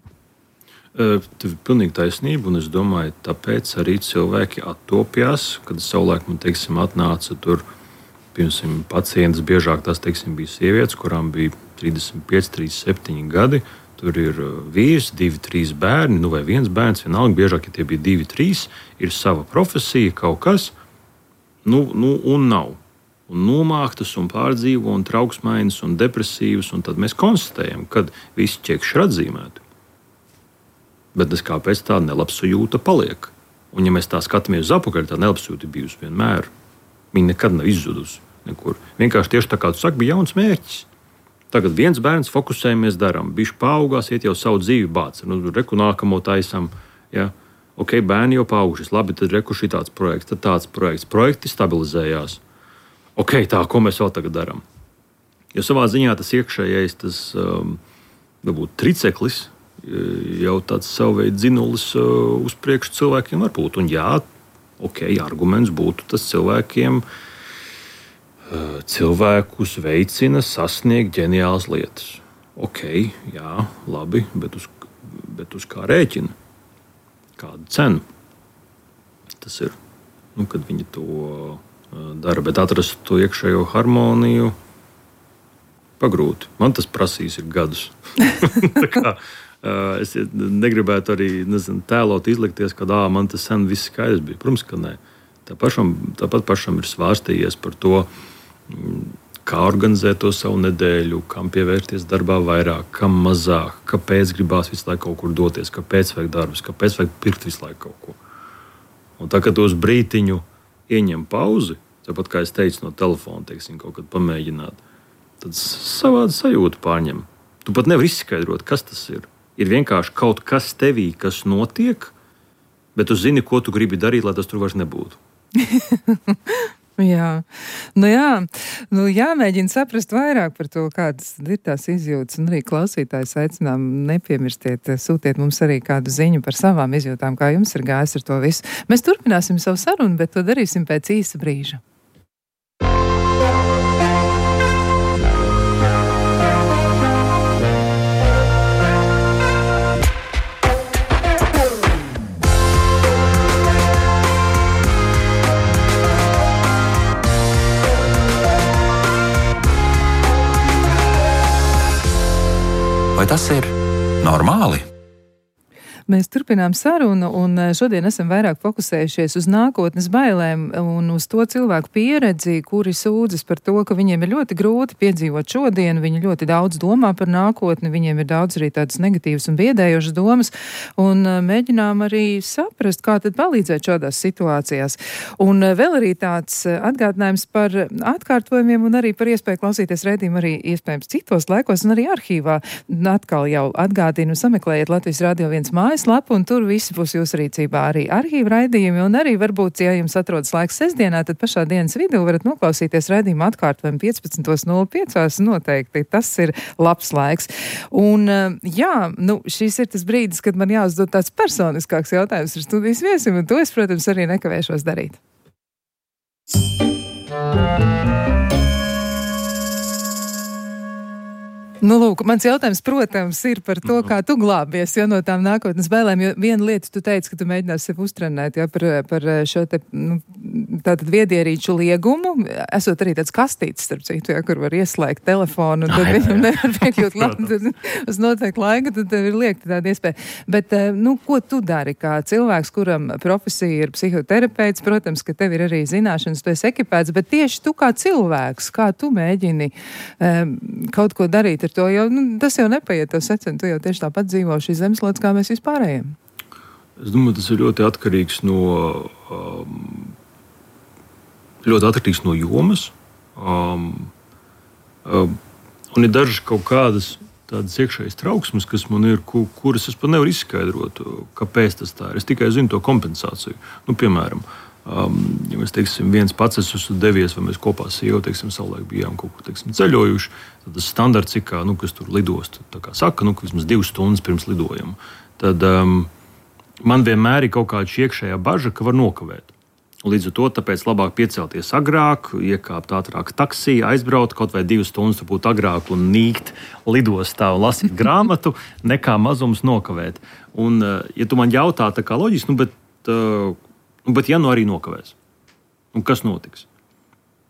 S3: Tev ir pilnīgi taisnība, un es domāju, tāpēc arī cilvēki attopjās, kad savulaik man, teiksim, atnāca tur, piemēram, pacientas, biežāk tās, teiksim, bija sievietes, kurām bija trīsdesmit pieci, trīsdesmit septiņi gadi, tur ir vīrs, divi, trīs bērni, nu vai viens bērns, vienalga, biežāk, ja tie bija divi, trīs, ir sava profesija, kaut kas, nu, nu un nav. Un nomāktas, un pārdzīvo, un trauksmainas, un depresīvas, un tad mēs konstatējam, kad visi ķekši ir atzīmēti. Bet es kāpēc tāda nelabsajūta paliek. Un, ja mēs tā skatāmies uz apakaļ, tā nelabsajūta ir bijusi vienmēr. Viņa nekad nav izzudusi nekur. Vienkārši tieši tā kā tu saki, bija jauns mērķis. Tagad viens bērns, fokusējamies, darām. Bišķi paaugās, iet jau savu dzīvi bāc. Nu, reku nākamo taisam. Ja? Ok, bērni jau paaugušies. Labi, tad reku šī tāds projekts, tad tāds projekts. Projekti stabilizējās. Ok, tā, ko mēs vēl tagad darām? Jo savā ziņā tas iekšējais, tas um, varbūt triceklis, jau tāds savu veidu dzinulis uh, uz priekšu cilvēkiem var būt. Un jā, ok, arguments būtu tas cilvēkiem, uh, cilvēkus veicina sasniegt ģeniālas lietas. Ok, jā, labi, bet uz, bet uz kā rēķina? Kādu cenu? Tas ir, nu, kad viņi to uh, dara, bet atrast to iekšējo harmoniju pagrūti. Man tas prasīs ir gadus. Tā kā Uh, es negribētu arī nezinu, tēlot, izlikties, ka ā, man tas sen viss skaidrs bija. Protams, ka nē. Tā pašam, tāpat pašam ir svārstījies par to, kā organizēt to savu nedēļu, kam pievērties darbā vairāk, kam mazāk, kāpēc gribās visu laiku kaut kur doties, kāpēc vajag darbus, kāpēc vajag pirkt visu laiku kaut ko. Un tā, kad uz brītiņu ieņem pauzi, tāpat kā es teicu no telefona, teiksim, kaut kad pamēģināt, tad savādi sajūtu pārņem. Tu pat nevar izskaidrot, kas tas ir. Ir vienkārši kaut kas tevī, kas notiek, bet tu zini, ko tu gribi darīt, lai tas tur vairs nebūtu.
S2: jā, nu jā, nu jāmēģina saprast vairāk par to, kādas ir tās izjūtas, un arī klausītājs aicinām nepiemirstiet, sūtiet mums arī kādu ziņu par savām izjūtām, kā jums ir gājis ar to visu. Mēs turpināsim savu sarunu, bet to darīsim pēc īsa brīža.
S1: Vai tas ir normāli?
S2: Mēs turpinām sarunu, un šodien esam vairāk fokusējušies uz nākotnes bailēm un uz to cilvēku pieredzi, kuri sūdzas par to, ka viņiem ir ļoti grūti piedzīvot šodienu, viņi ļoti daudz domā par nākotni, viņiem ir daudz arī tādas negatīvas un biedējošas domas, un mēģinām arī saprast, kā tad palīdzēt šādās situācijās. Un vēl arī tāds atgādinājums par atkārtojumiem un arī par iespēju klausīties raidījumu arī iespējams citos laikos un arī arhīvā. Atkal jau atgādinu, sameklējiet Latvijas Radio viens mājas lapu, un tur visi būs jūsu rīcībā arī arhīva raidījumi, un arī varbūt, ja jums atrodas laiks sestdienā, tad pašā dienas vidū varat noklausīties raidījumu atkārtojumu piecpadsmit nulle pieci, noteikti tas ir labs laiks. Un jā, nu, šis ir tas brīdis, kad man jāuzdod tāds personiskāks jautājums ar studijas viesim, un to es, protams, arī nekavēšos darīt. Nu, lūk, mans jautājums, protams, ir par to, kā tu glābies, jo no tām nākotnes bailēm, jo viena lieta tu teici, ka tu mēģinās sev uztrenēt, ja, par, par šo te, nu, tātad viedierīču liegumu, esot arī tāds kastīts, starp citu, ja, kur var ieslēgt telefonu, un tad viņam nevar piekļūt labi, tad uz noteikti laika, tad tev ir liekta tāda iespēja. Bet, nu, ko tu dari kā cilvēks, kuram profesija ir psihoterapeits, protams, ka tev ir arī zināšanas, tu esi ekipēts, bet tieši tu kā cilvēks, kā tu mēģini um, kaut ko darīt to, jo nu, tas jau nepaiet tev secen, tu jau tieši tāpat dzīvo šīs zemeslodes, kā mēs vispārējiem.
S3: Es domāju, tas ir ļoti atkarīgs no, um, ļoti atkarīgs no jomas. Um, um, un ir dažas kaut kādas tādas iekšējas trauksmes, kas man ir, ku, kuras es pat nevaru izskaidrot, kāpēc tas tā ir. Es tikai zinu to kompensāciju. Nu, piemēram, Um, ja mēs, teiksim, viens pats esmu devies, vai mēs kopā sievu, teiksim, savulaik bijām kaut ko, teiksim, ceļojuši, tad tas standarts ir, kā, nu, kas tur lidost, tā kā saka, nu, ka vismaz divas stundas pirms lidojuma. Tad um, man vienmēr ir kaut kāda iekšējā baža, ka var nokavēt. Līdz ar to tāpēc labāk piecelties agrāk, iekāpt ātrāk taksī, aizbraukt kaut vai divas stundas, būt agrāk un nīkt lidostā un lasīt grāmatu, nekā mazums nokavēt. Un, ja tu man jautā tā kā loģiski, nu, bet uh, Bet, ja nu arī nokavēs, un kas notiks?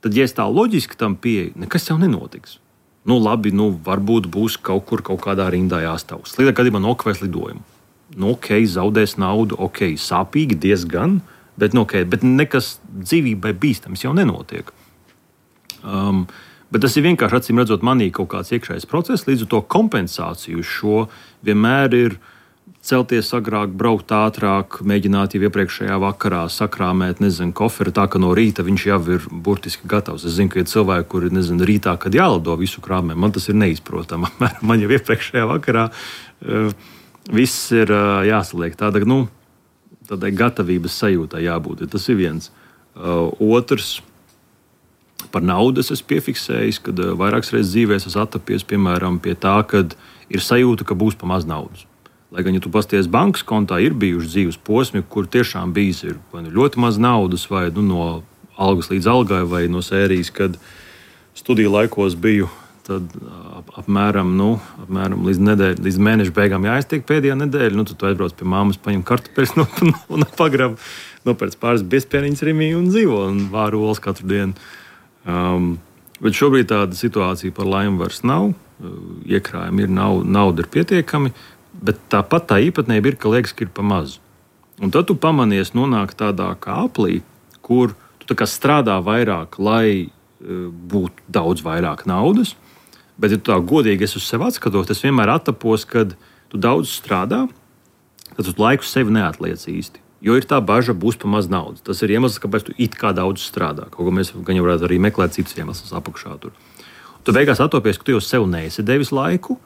S3: Tad, ja es tā loģiski tam pieeju, nekas jau nenotiks. Nu, labi, nu, varbūt būs kaut kur, kaut kādā rindā jāstāv. Sliktākajā gadījumā nokavēs lidojumu. Nu, ok, zaudēs naudu, ok, sāpīgi diezgan, bet, nu, okay, bet nekas dzīvībai bīstams jau nenotiek. Um, bet tas ir vienkārši, acīm redzot, manī kaut kāds iekšējais process, līdz ar to kompensāciju šo vienmēr ir celties agrāk, braukt ātrāk, mēģināt jau iepriekšējā vakarā sakrāmēt, nezinu, koferu tā, ka no rīta viņš jau ir burtiski gatavs. Es zinu, ka ir cilvēki, kuri, nezinu, rītā, kad jālido visu krāmē, man tas ir neizprotama. Man jau iepriekšējā vakarā uh, viss ir uh, jāsaliek. Tāda, nu, tādai gatavības sajūtai jābūt. Tas ir viens. Uh, otrs, par naudu es esmu piefiksējis, kad uh, vairākas reizes dzīvē esmu attapies, piemēram, pie tā, kad ir sajūta, ka būs pa maz naudas. Lai gan, ja tu pasties bankas kontā, ir bijuši dzīves posmi, kur tiešām bijis ir, vai nu ļoti maz naudas, vai nu, no algas līdz algai, vai no sērijas, kad studiju laikos biju, tad ap, apmēram, nu, apmēram līdz, nedēļ, līdz mēneša beigām jāiztiek pēdējā nedēļa. Nu, tad tu aizbrauc pie māmas, paņem kartupeļus no, un pagrab, nopērc pāris biezpieniņas Rimī un dzīvo un vāru olas katru dienu. Um, bet šobrīd tāda situācija par laimi vairs nav. Iekrājumi ir, nav, nauda ir pietiekami. Bet tāpat tā īpatnība ir, ka liekas, ka ir pa maz. Un tad tu pamanies nonākt tādā kā aplī, kur tu tā kā strādā vairāk, lai uh, būtu daudz vairāk naudas. Bet, ja tu tā godīgi es uz sevi atskatos, es vienmēr attapos, kad tu daudz strādā, tad tu laiku sevi neatliec īsti. Jo ir tā baža, būs pa maz naudas. Tas ir iemesls, kāpēc tu it kā daudz strādā. Kaut ko mēs gan jau varētu arī meklēt citus iemeslus apakšā tur. Tu beigās attopies, ka tu jau sev neesi devis laiku,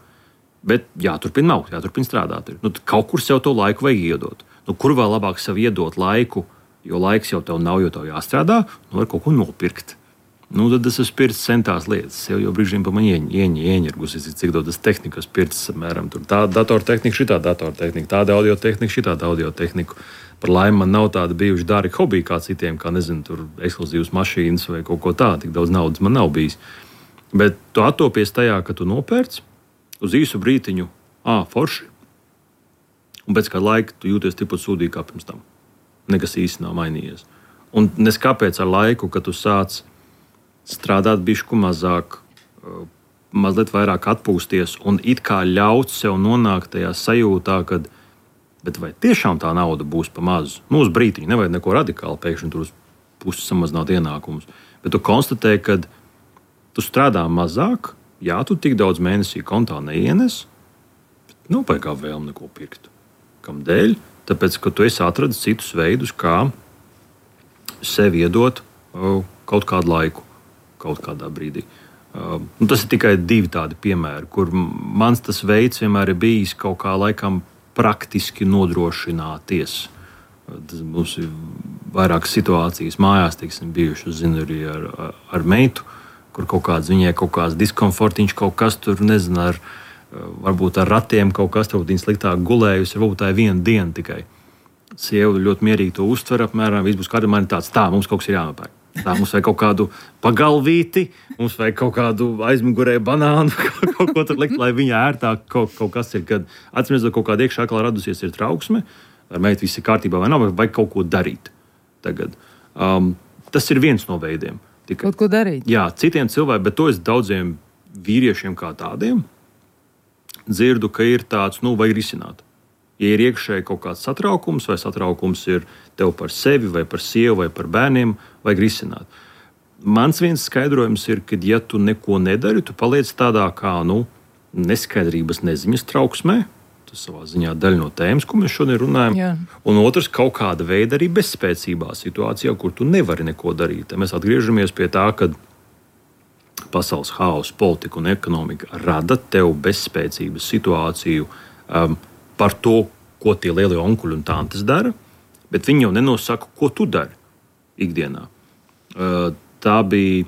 S3: bet jāturpina nav, jāturpina strādāt. Nu, kaut kur sev to laiku vajag iedot. Nu, kur vēl labāk sev iedot laiku, jo laiks jau tev nav, jo tev jāstrādā, nu var kaut ko nopirkt. Nu, tad es esmu pircis centās lietas. Sev jau brīžiem pa man ieņirgus, cik daudz tehnikas pircis, apmēram, tur tā datortehnika, šitā datortehnika, tāda audiotehnika, šitāda audiotehnika. Par laimi man nav tāda bijuši dārgi hobiji kā citiem, kā, nezinu, tur ekskluzīvas mašīnas vai kaut ko tādu, tik daudz naudas man nav bijis. Bet tu attopies tajā, ka tu nopērci, uz īsu brītiņu, ā, forši, un pēc kāda laika tu jūties tikpat sūdīgi kā pirms tam. Nekas īsti nav mainījies. Un neskāpēc ar laiku, kad tu sāc strādāt bišku mazāk, mazliet vairāk atpūsties un it kā ļaut sev nonākt tajā sajūtā, kad bet vai tiešām tā nauda būs pa mazu? Nu, uz brītiņu nevajag neko radikāli pēkšņi tur uz pusi samazināt ienākumus. Bet tu konstatē, ka tu strādā mazāk, jā, tu tik daudz mēnesī kontā neienes, bet nav baigā vēlme neko pirkt. Kamdēļ? Tāpēc, ka tu esi atradis citus veidus, kā sev iedot uh, kaut kādu laiku, kaut kādā brīdī. Uh, tas ir tikai divi tādi piemēri, kur mans tas veids vienmēr ir bijis kaut kā laikam praktiski nodrošināties. Uh, tas mums ir vairākas situācijas mājās, teiksim, bijušas, zinu, arī ar, ar, ar meitu, kur kaut kāds viņai kaut kāds diskomfortiņš, kaut kas tur, nezinu, ar varbūt ar ratiem kaut kas, varbūt viņa sliktāk gulējusi, varbūt tā ir viena diena tikai. Sieva ļoti mierīgi to uztver apmēram, viss būs kādā man tāds, tā, mums kaut kas ir jānopērk. Tā, mums vajag kaut kādu pagalvīti, mums vajag kaut kādu aizmugurē banānu, kaut ko tur likt, lai viņa ērtāk kaut, kaut kas ir. Kad atsimredzot kaut kāda iekšā aklā radusies ir trauksme, ar meitu viss ir kārtībā vai nav, vai vajag kaut ko darīt tagad. Um, tas ir viens no veidiem.
S2: Tikai, kaut ko darīt?
S3: Jā, citiem cilvēkiem, bet to es daudziem vīriešiem kā tādiem dzirdu, ka ir tāds, nu, vajag risināt. Ja ir iekšēji kaut kāds satraukums, vai satraukums ir tev par sevi, vai par sievu, vai par bērniem, vajag risināt. Mans viens skaidrojums ir, ka, ja tu neko nedari, tu paliec tādā kā, nu, neskaidrības neziņas trauksmē. Tas savā ziņā daļa no tēmas, ko mēs šodien runājam. Jā. Un otrs, kaut kāda veida arī bezspēcībā situācijā, kur tu nevari neko darīt. Mēs atgriežamies pie tā, ka pasaules haosa, politika un ekonomika rada tev bezspēcības situāciju um, par to, ko tie lielie onkuļi un tantes dara, bet viņi jau nenosaka, ko tu dari ikdienā. Uh, tā bija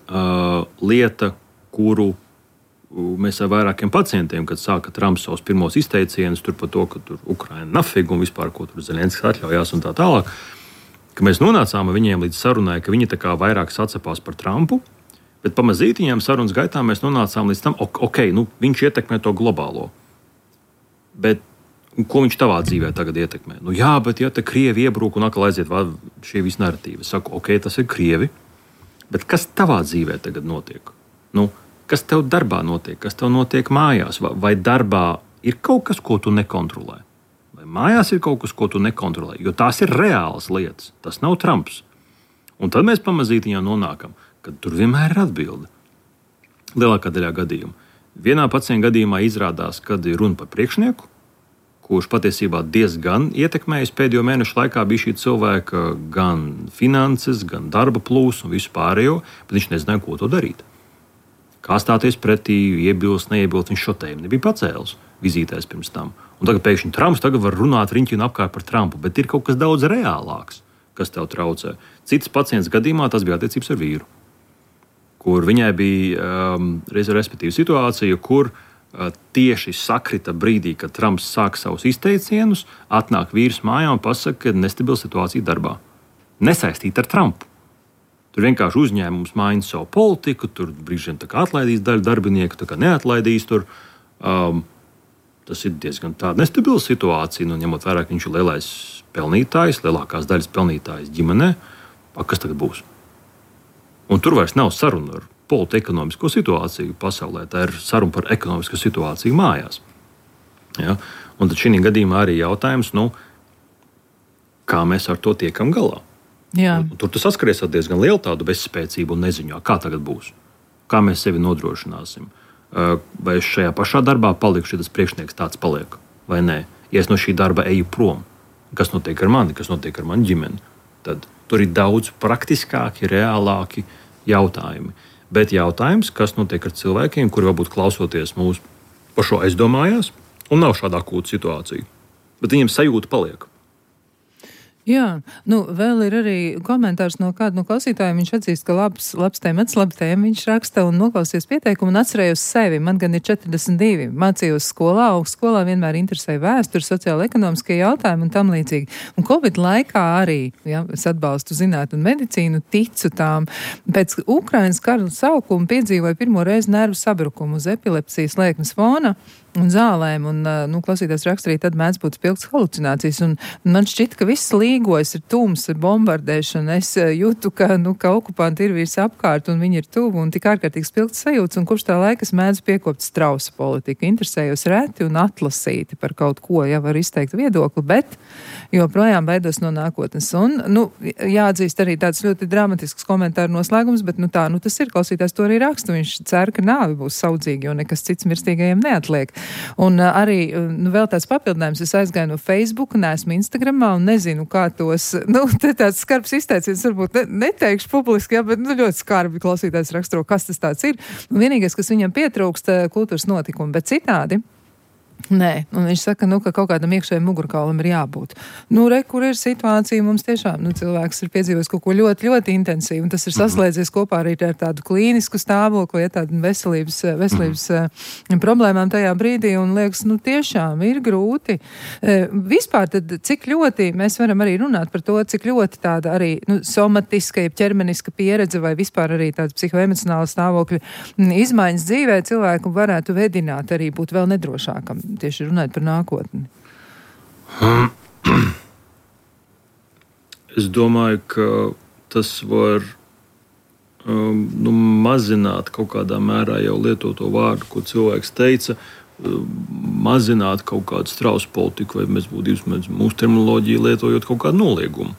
S3: uh, lieta, kuru mēs ar vairākiem pacientiem, kad sāka Trumps savus pirmos izteicienus tur par to, ka tur Ukraina nafig un vispār, ko tur Zelenskis atļaujās un tā tālāk, ka mēs nonācām viņiem līdz sarunai, ka viņi tā kā vairāk sacepās par Trumpu, bet pamazītiņām sarunas gaitā mēs nonācām līdz tam, ok, nu, viņš ietekmē to globālo. Bet ko viņš tavā dzīvē tagad ietekmē? Nu jā, bet ja te Krievi iebrūk un atkal aiziet šie visi narratīvi. Es saku, ok, tas ir Krievi, bet kas tavā dzīvē tagad notiek? Nu, kas tev darbā notiek? Kas tev notiek mājās? Vai, vai darbā ir kaut kas, ko tu nekontrolē? Vai mājās ir kaut kas, ko tu nekontrolē? Jo tās ir reālas lietas. Tas nav Trumps. Un tad mēs pamazītiņā nonākam, ka tur vienmēr ir atbilde. Lielākā daļā gadījumu. Vienā pacienta gadījumā izrādās, kad ir runa par priekšnieku, kurš patiesībā diezgan ietekmējis pēdējo mēnešu laikā bija šī cilvēka gan finanses, gan darba plūsmu un visu pārējo, bet viņš nezināja, ko to darīt. Kā stāties pretī, iebilst, neiebilst, viņš šotējumu nebija pacēlis vizītēs pirms tam. Un tagad pēkšņi Trumps tagad var runāt riņķi un apkārt par Trumpu, bet ir kaut kas daudz reālāks, kas tev traucē. Cits pacients gadījumā tas bija attiecības ar vīru, kur viņai bija um, respektīva situācija, kur uh, tieši sakrita brīdī, kad Trumps sāk savus izteicienus, atnāk vīrs mājā un pasaka, ka nestabila situācija darbā. Nesaistīta ar Trumpu. Tur vienkārši uzņēmums maina savu politiku, tur brīžiem tā kā atlaidīs daļu darbinieku, tā kā neatlaidīs tur. Um, tas ir diezgan tāda nestabila situācija, nu, ņemot vērā, ka viņš ir lielais pelnītājs, lielākās daļas pelnītājs ģimenē. Kas tagad būs? Un tur vairs nav saruna ar politekonomisko situāciju pasaulē, tā ir saruna par ekonomisko situāciju mājās. Ja? Un tad šī gadījumā arī jautājums, nu, kā mēs ar to tiekam galā.
S2: Jā.
S3: Un, tur tas saskaries ar diezgan lielu tādu bezspēcību un neziņā, kā tagad būs. Kā mēs sevi nodrošināsim. Vai es šajā pašā darbā palikšu, ja tas priekšnieks tāds paliek, vai nē. Ja es no šī darba eju prom, kas notiek ar mani, kas notiek ar mani ģimeni, tad tur ir daudz praktiskāki, reālāki jautājumi. Bet jautājums, kas notiek ar cilvēkiem, kuri varbūt klausoties mūsu par šo aizdomājās un nav šādā akūta situācija, bet viņiem sajūta paliek.
S2: Jā, nu vēl ir arī komentārs no kāda no klausītājiem. Viņš atzīst, ka labs, labs tēmats, labs tēma. Viņš raksta un noklausies pieteikumu un atcerējos sevi. Man gan ir četrdesmit divi. Mācījos skolā, augstskolā vienmēr interesēja vēsturi, sociāla ekonomiskie jautājumi un tam līdzīgi. Un Covid laikā arī, ja, es atbalstu zinātni un medicīnu, ticu tām. Pēc Ukrainas kara sākuma piedzīvoja pirmo reizi nervu sabrukumu uz epilepsijas lēkmes fona. un zālēm, un, nu, klausītājs raksturī, tad mēdz būt spilgts halucinācijas, un man šķiet, ka viss līgojas, ir tums, ir bombardēšana, es jūtu, ka, nu, ka okupanti ir visi apkārt, un viņi ir tuvu, un tik ārkārtīgi spilgts sajūts, un kopš tā laika es mēdzu piekopt strausa politiku, interesējos reti un atlasīti par kaut ko, ja var izteikt viedokli, bet joprojām baidos no nākotnes. Un, nu, jāatzīst arī tāds ļoti dramatisks komentāru noslēgums, bet, nu, tā, nu, tas ir, klausītājs to arī raksta, viņš cer, ka nāvi būs saudzīgi, jo nekas cits mirstīgajiem neatliek. Un uh, arī, nu, vēl tāds papildinājums, es aizgāju no Facebook, neesmu Instagramā un nezinu, kā tos, nu, te tāds skarbs izteiciens, varbūt ne, neteikšu publiski, jā, bet, nu, ļoti skarbi klausītājs raksturo, kas tas tāds ir. Un vienīgais, kas viņam pietrūkst, kultūras notikumi, bet citādi. Nē, un viņš saka, nu, ka kaut kādam iekšējiem mugurkaulam ir jābūt. Nu, re, kur ir situācija, mums tiešām, nu, cilvēks ir piedzīvojis kaut ko ļoti, ļoti intensīvu, un tas ir saslēdzies kopā arī ar tādu klīnisku stāvokli, ja tādu veselības, veselības mm. problēmām tajā brīdī, un liekas, nu, tiešām ir grūti. Vispār tad, cik ļoti mēs varam arī runāt par to, cik ļoti tāda arī, nu, somatiska, ķermeniska pieredze vai vispār arī tāda psihoemocionāla stāvokļa izmaiņas dzīvē cilvēku varētu vedināt arī būt vēl nedrošākam. Tieši runājot par nākotni.
S3: Es domāju, ka tas var um, nu, mazināt kaut kādā mērā jau lietoto vārdu, ko cilvēks teica, um, mazināt kaut kādu strausu politiku, vai mēs būtu mūsu terminoloģiju lietojot kaut kādu noliegumu,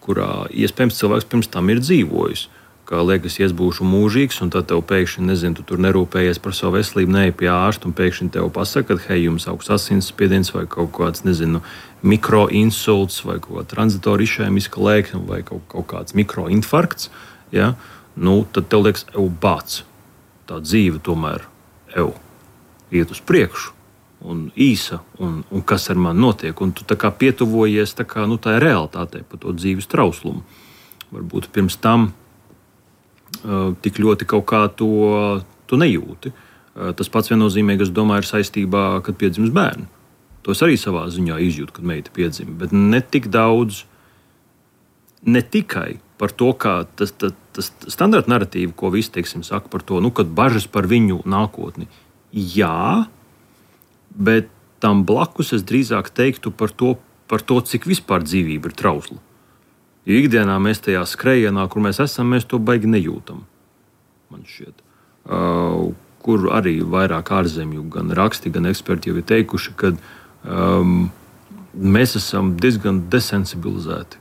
S3: kurā iespējams cilvēks pirms tam ir dzīvojis. Kā liekas, es būšu mūžīgs, un tad tev pēkšņi, nezinu, tu tur nerūpējies par savu veselību, neej pie ārsta, un pēkšņi tev pasaka, ka, hei, jums augsts asinsspiediens vai kaut kāds, nezinu, mikroinsults vai kaut kāda tranzitora išēmiska lēkme vai kaut, kaut kāds mikroinfarkts, ja? Nu, tad tev liekas, ev bāc, tā dzīve tomēr, ev, iet uz priekšu, un īsa, un, un kas ar mani notiek, un tu tā kā pietuvojies, tā kā, nu, tā ir realitātei par to dzīves trauslumu. Varbūt pirms tam Uh, tik ļoti kaut kā to, to nejūti. Uh, tas pats viennozīmīgi, es domāju, ir saistībā, kad piedzimst bērni. To es arī savā ziņā izjūtu, kad meita piedzima, bet ne tik daudz, ne tikai par to, kā tas, tas, tas standarta narratīva, ko visi, teiksim, saka par to, nu, kad bažas par viņu nākotni. Jā, bet tam blakus es drīzāk teiktu par to, par to, cik vispār dzīvība ir trausla. Jo ikdienā mēs tajā skrejienā, kur mēs esam, mēs to baigi nejūtam. Man šķiet. Uh, kur arī vairāk ārzemju, gan raksti, gan eksperti jau ir teikuši, ka um, mēs esam diezgan desensibilizēti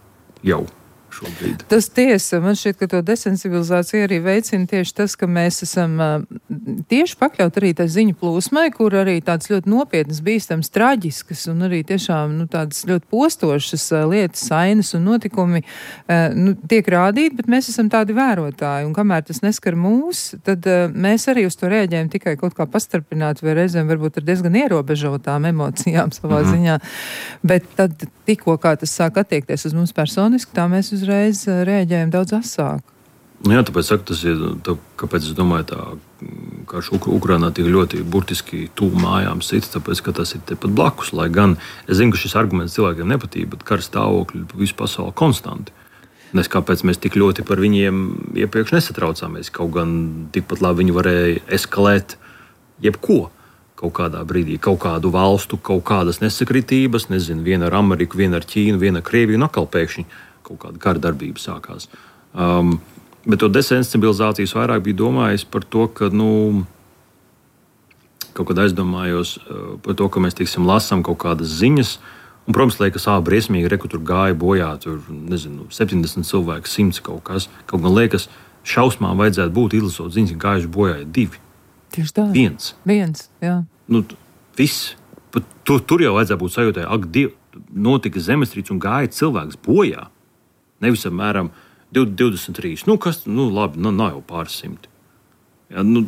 S3: jau šobrīd.
S2: Tas tiesa, man šķiet, ka to desensibilizāciju arī veicina tieši tas, ka mēs esam uh, tieši pakļaut arī tā ziņu plūsmai, kur arī tāds ļoti nopietnas, bīstams, traģiskas un arī tiešām, nu, tādas ļoti postošas uh, lietas, sainas un notikumi uh, nu, tiek rādīti, bet mēs esam tādi vērotāji, un kamēr tas neskar mūs, tad uh, mēs arī uz to rēģējam tikai kaut kā pastarpināt, vai reizēm varbūt ar diezgan ierobežotām emocijām savā mm-hmm. ziņā, bet tad tikko kā tas sāk attiekties uz mums personiski, tā mēs uzreiz rēģējam daudz asāk.
S3: Nu jā, tāpēc saku, tas ir, tā, kāpēc es domāju, tā, ka Ukrainā tik ļoti burtiski tuvu mājām sits, tāpēc, ka tas ir tepat blakus, lai gan es zinu, ka šis arguments cilvēkiem nepatīk, bet kara stāvokļi visu pasauli konstanti. Nes kāpēc mēs tik ļoti par viņiem iepriekš nesatraucāmies, kaut gan tikpat labi viņi varēja eskalēt jebko. Kaut kādā brīdī, kaut kādu valstu, kaut kādas nesakritības, nezinu, viena ar Ameriku, viena ar Ķīnu, viena ar Krieviju, un atkal pēkšņi kaut kāda kara darbība sākās. Um, bet to desensibilizācijas vairāk bija domājis par to, ka, nu, kaut kad aizdomājos uh, par to, ka mēs, teiksim, lasām kaut kādas ziņas, un, protams, liekas, ā, briesmīgi, reku tur gāja bojā, tur, nezinu, septiņdesmit cilvēki, simts kaut kas, kaut gan liekas, šausmām vajadzētu būt izlasot ziņas, ka gājuši bojā ir divi.
S2: Tieši tā.
S3: Viens.
S2: Viens, jā.
S3: Nu, viss. Pat tur, tur jau vajadzētu būt sajūtai, ak, Diev, notika zemestrīce un gāja cilvēks bojā. Nevis apmēram divdesmit trīs. Nu, kas, nu, labi, nu, nav jau pāris simti. Ja, nu,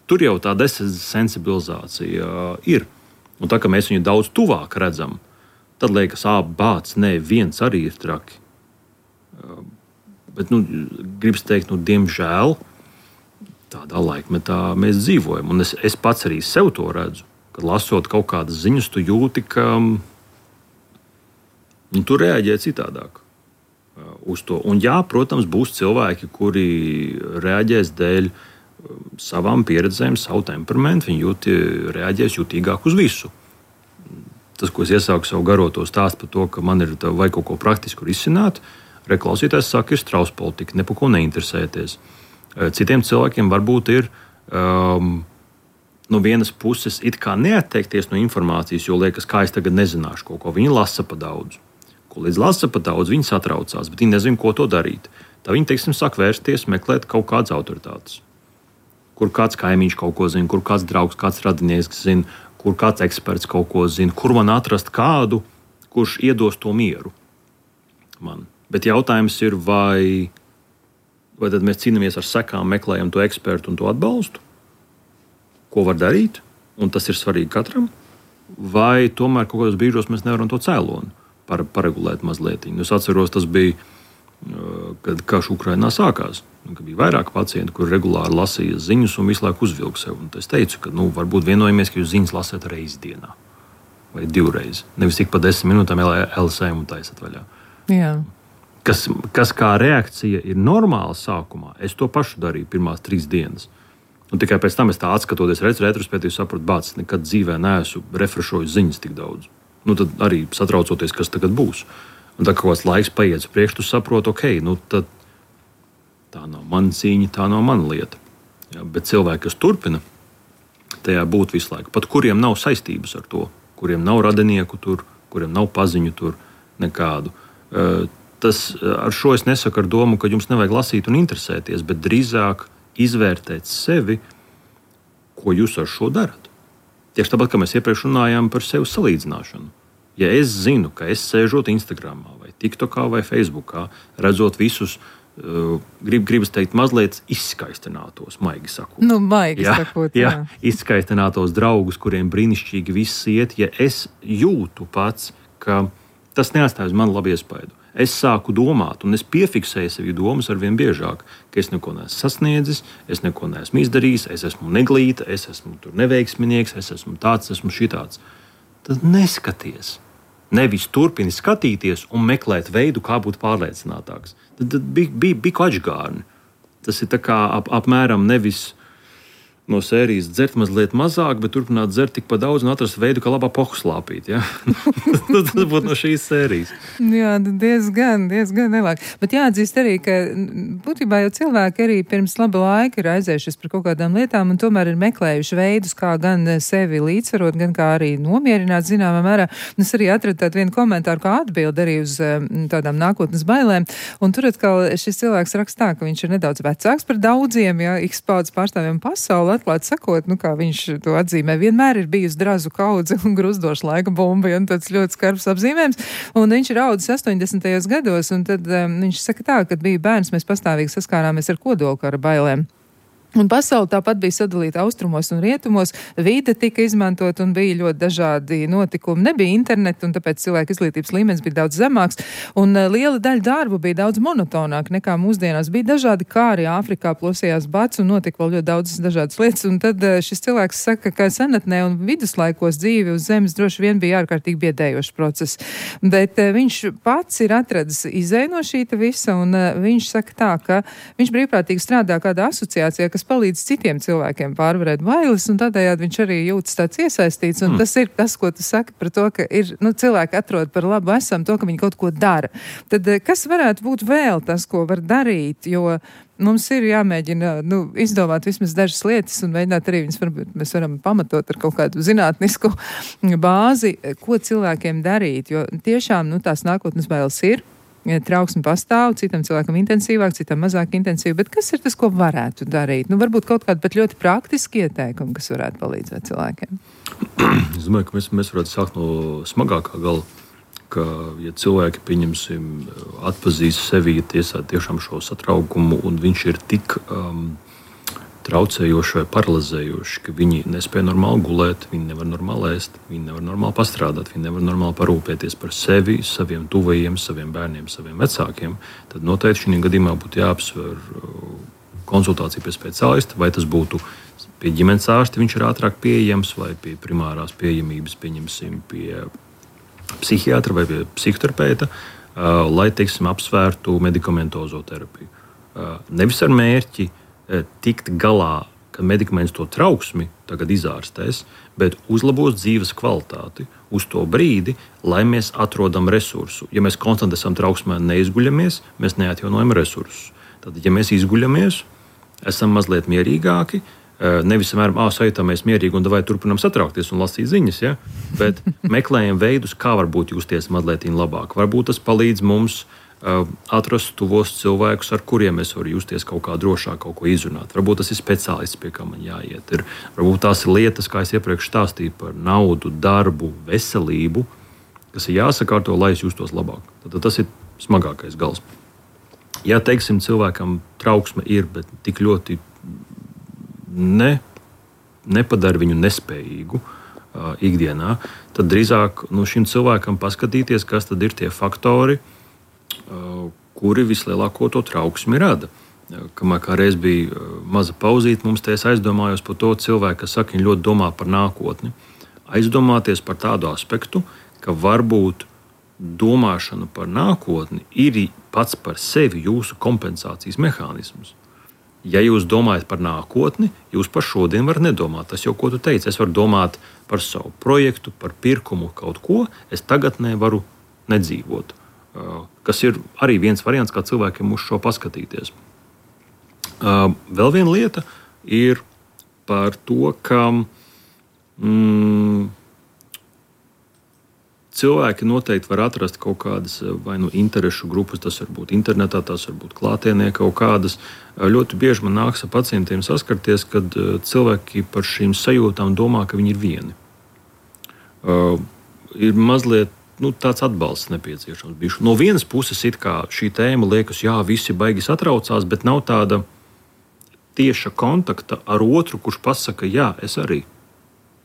S3: tur jau tā desensibilizācija uh, ir. Un tā, ka mēs viņu daudz tuvāk redzam, tad liekas, ā, bāc, nē, viens arī ir traki. Uh, bet, nu, gribas teikt, nu, diemžēl, tādā laikmetā mēs dzīvojam. Un es, es pats arī sev to redzu, kad lasot kaut kādas ziņas, tu jūti, ka nu, tu reaģē citādāk uh, uz to. Un jā, protams, būs cilvēki, kuri reaģēs dēļ savām pieredzēm, savu temperamentu, viņi jūt, reaģēs jutīgāk uz visu. Tas, ko es iesāku savu garoto stāstu par to, ka man ir vajag kaut ko praktisku risināt, reklausītājs saka, ir strauss politika, ne par ko neinteresēties. Citiem cilvēkiem varbūt ir um, no vienas puses it kā neatteikties no informācijas, jo liekas, kā es tagad nezināšu kaut ko. Viņi lasa pa daudz. Ko līdz lasa pa daudz, viņi satraucās, bet viņi nezina, ko to darīt. Tā viņi, teiksim, sāk vērsties, meklēt kaut kādas autoritātes. Kur kāds kaimiņš kaut ko zina, kur kāds draugs, kāds radinieks zina, kur kāds eksperts kaut ko zina, kur man atrast kādu, kurš iedos to mieru man. Bet jautājums ir, vai, vai tad mēs cīnāmies ar sekām, meklējam to ekspertu un to atbalstu, ko var darīt, un tas ir svarīgi katram, vai tomēr kaut kādos brīžos mēs nevaram to cēloni par, paregulēt mazliet. Es atceros, tas bija, kad karš Ukrainā sākās. Kad bija vairāk pacienti, kuri regulāri lasīja ziņas un visu laiku uzvilka sev. Un es teicu, ka nu, varbūt vienojamies, ka jūs ziņas lasāt reizi dienā vai divreiz. Nevis tik pa desmit minūtēm L S M un taisat vaļā.
S2: Jā.
S3: Kas, kas kā reakcija ir normāla sākumā, es to pašu darīju pirmās trīs dienas. Un tikai pēc tam es tā atskatoties retrospektīvi sapratu, bāc, nekad dzīvē neesmu refrešojis ziņas tik daudz. Nu, tad arī satraucoties, kas tagad būs. Un tā kā kāds laiks paiet uz priekšu, tu saproti, ok, nu tad tā nav mana cīņa, tā nav mana lieta. Ja, bet cilvēki, kas turpina tajā būt visu laiku, pat kuriem nav saistības ar to, kuriem nav radinieku tur, kuriem nav paziņu tur nekādu. Tas, ar šo es nesaku ar domu, ka jums nevajag lasīt un interesēties, bet drīzāk izvērtēt sevi, ko jūs ar šo darat. Tieši tāpat, kā mēs iepriekš runājām par sevi salīdzināšanu. Ja es zinu, ka es sēžot Instagramā vai TikTokā vai Facebookā, redzot visus, uh, grib, gribas teikt, mazliet izskaistinātos, maigi sakot.
S2: Nu, maigi jā, sakot, jā.
S3: jā. Izskaistinātos draugus, kuriem brīnišķīgi viss iet, ja es jūtu pats, ka tas neatstāj uz mani labu iespaidu. Es sāku domāt, un es piefiksēju sevi domas arvien biežāk, ka es neko neesmu sasniedzis, es neko neesmu izdarījis, es esmu neglīta, es esmu tur neveiksminieks, es esmu tāds, esmu šitāds. Tad neskaties. Nevis turpini skatīties un meklēt veidu, kā būt pārliecinātāks. Tad, tad bija, bija, bija atžgārni. Tas ir tā kā ap, apmēram nevis no sērijas dzert mazliet mazāk, bet turpināt dzert tik pa daudz un atrast veidu, kā labā pohu slāpīt. Ja? Tas būtu no šīs sērijas.
S2: Jā, diezgan, diezgan nelāk. Bet jāatzīst arī, ka būtībā jau cilvēki arī pirms laba laika ir aizējušies par kaut kādām lietām un tomēr ir meklējuši veidus, kā gan sevi līdzsvarot, gan kā arī nomierināt zināmā mērā. Un es arī atradu tādu vienu komentāru, kā atbildi arī uz tādām nākotnes bailēm. Un tur atkal šis cilvēks rakstā, ka viņš ir nedaudz vecāks par daudziem, ja, X paudzes pārstāvjiem pasaulē. Atklāt sakot, nu kā viņš to atzīmē, vienmēr ir bijusi drazu kaudze un gruzdoša laika bomba, ja, un tāds ļoti skarbs apzīmējums. Un viņš ir audzis astoņdesmitajos gados, un tad um, viņš saka tā, kad bija bērns, mēs pastāvīgi saskārāmies ar kodolkara bailēm. Un pasaule tāpat bija sadalīta austrumos un rietumos, vide tika izmantot un bija ļoti dažādi notikumi. Nebija interneta, un tāpēc cilvēku izglītības līmenis bija daudz zemāks, un uh, liela daļa darbu bija daudz monotonāk nekā mūsdienās. Bija dažādi kāri Āfrikā, plosījās bats, un notika vēl ļoti daudz dažādas lietas, un tad uh, šis cilvēks saka, ka senatnē un viduslaikos dzīve uz zemes droši vien bija ārkārtīgi biedējošs process. Bet uh, viņš pats ir atradis izēju no šīta visa, un uh, viņš saka tā, ka viņš brīvprātīgi strādā kādā asociācijā, kas palīdz citiem cilvēkiem pārvarēt bailes, un tādējādi viņš arī jūtas tāds iesaistīts, un mm. tas ir tas, ko tu saki par to, ka ir, nu, cilvēki atrod par labu esam to, ka viņi kaut ko dara. Tad kas varētu būt vēl tas, ko var darīt, jo mums ir jāmēģina, nu, izdomāt vismaz dažas lietas un mēģināt arī viņas varbūt mēs varam pamatot ar kaut kādu zinātnisku bāzi, ko cilvēkiem darīt, jo tiešām, nu, tās nākotnes bailes ir. Trauksme pastāv, citam cilvēkam intensīvāk, citam mazāk intensīvi, bet kas ir tas, ko varētu darīt? Nu, varbūt kaut kādi pat ļoti praktiski ieteikumi, kas varētu palīdzēt cilvēkiem.
S3: Es domāju, ka mēs, mēs varētu sākt no smagākā gala, ka, ja cilvēki, pieņemsim, atpazīst sevi, ja tiesā tiešām šo satraukumu, un viņš ir tik um, traucējoši vai paralizējoši, ka viņi nespēja normāli gulēt, viņi nevar normāli ēst, viņi nevar normāli pastrādāt, viņi nevar normāli parūpēties par sevi, saviem tuvajiem, saviem bērniem, saviem vecākiem, tad noteikti šī gadījumā būtu jāapsver konsultācija pie speciālista, vai tas būtu pie ģimenes ārsta, viņš ir ātrāk pieejams, vai pie primārās pieejamības, pieņemsim, pie psihiatra vai pie psihoterapeita, lai, teiksim, apsvērtu medikamentozo terapiju. Nevis ar mērķi tikt galā ka medikaments to trauksmi tagad izārstēs, bet uzlabos dzīves kvalitāti uz to brīdi, lai mēs atrodam resursu. Ja mēs konstanti esam trauksmē un neizguļamies, mēs neatjaunojam resursus. Tad, ja mēs izguļamies, esam mazliet mierīgāki, nevis vienmēr sajūtamies mierīgi un vai turpinām satraukties un lasīt ziņas, ja? Bet meklējam veidus, kā varbūt justies mazliet labāk. Varbūt tas palīdz mums uh, atrast tuvos cilvēkus, ar kuriem mēs varam justies kaut kā drošāk, kaut ko izrunāt. Varbūt tas ir speciālists, pie kā man jāiet. Ir, varbūt tās ir lietas, kā es iepriekš stāstīju par naudu, darbu, veselību, kas ir jāsakārto, lai es justos labāk. Tad tas ir smagākais gals. Ja, teiksim, cilvēkam trauksme ir, bet tik ļoti Ne, nepadara viņu nespējīgu uh, ikdienā, tad drīzāk nu, šim cilvēkam paskatīties, kas tad ir tie faktori, uh, kuri vislielāko to trauksmi rada. Uh, kamēr kā reiz bija uh, maza pauzīte, mums te es aizdomājos par to cilvēku, kas saka, viņi ļoti domā par nākotni. Aizdomāties par tādu aspektu, ka varbūt domāšana par nākotni ir pats par sevi jūsu kompensācijas mehānisms. Ja jūs domājat par nākotni, jūs par šodien varat nedomāt. Tas jau, ko tu teici, es varu domāt par savu projektu, par pirkumu, kaut ko. Es tagad nevaru nedzīvot. Kas ir arī viens variants, kā cilvēkiem uz šo paskatīties. Vēl viena lieta ir par to, ka mm, cilvēki noteikti var atrast kaut kādas vai nu interešu grupas, tas var būt internetā, tas var būt klātienē kaut kādas. Ļoti bieži man nāks ar pacientiem saskarties, kad cilvēki par šīm sajūtām domā, ka viņi ir vieni. Uh, ir mazliet nu, tāds atbalsts nepieciešams. Bišķi. No vienas puses it kā šī tēma liekas, jā, visi baigi satraucās, bet nav tāda tieša kontakta ar otru, kurš pasaka, jā, es arī.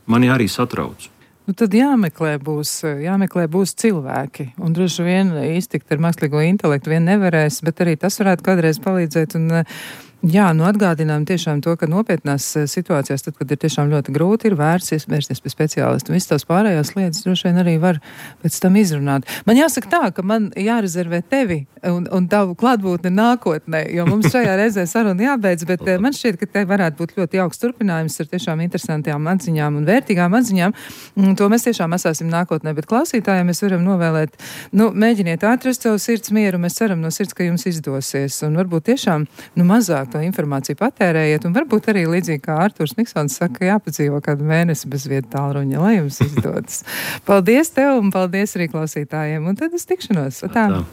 S3: Mani arī satrauc.
S2: Nu, tad jāmeklē būs, jāmeklē būs cilvēki, un droši vien iztikt ar mākslīgo intelektu vien nevarēs, bet arī tas varētu kādreiz palīdzēt. Un, jā, nu atgādinām tiešām to, ka nopietnās situācijās, tad, kad ir tiešām ļoti grūti, ir vērts vērsties pie speciālistu. Visas tās pārējās lietas droši vien arī var pēc tam izrunāt. Man jāsaka tā, ka man jārezervē tevi un, un tavu klātbūtni nākotnē, jo mums šajā reizē saruna jābeidz, bet man šķiet, ka te varētu būt ļoti jauks turpinājums ar tiešām interesantām atziņām un vērtīgām atziņām. To mēs tiešām esāsim nākotnē, bet klausītājiem mēs varam novēlēt, nu, mēģiniet atrast savu sirds mieru, mēs ceram no sirds, ka jums izdosies, un varbūt tiešām, nu, mazāk to informāciju patērējiet, un varbūt arī līdzīgi kā Arturs Niksons saka, jāpadzīvo kādu mēnesi bez vieta tālruņa, lai jums izdodas. Paldies tev un paldies arī klausītājiem, un tad uz tikšanos. Tā. Tā.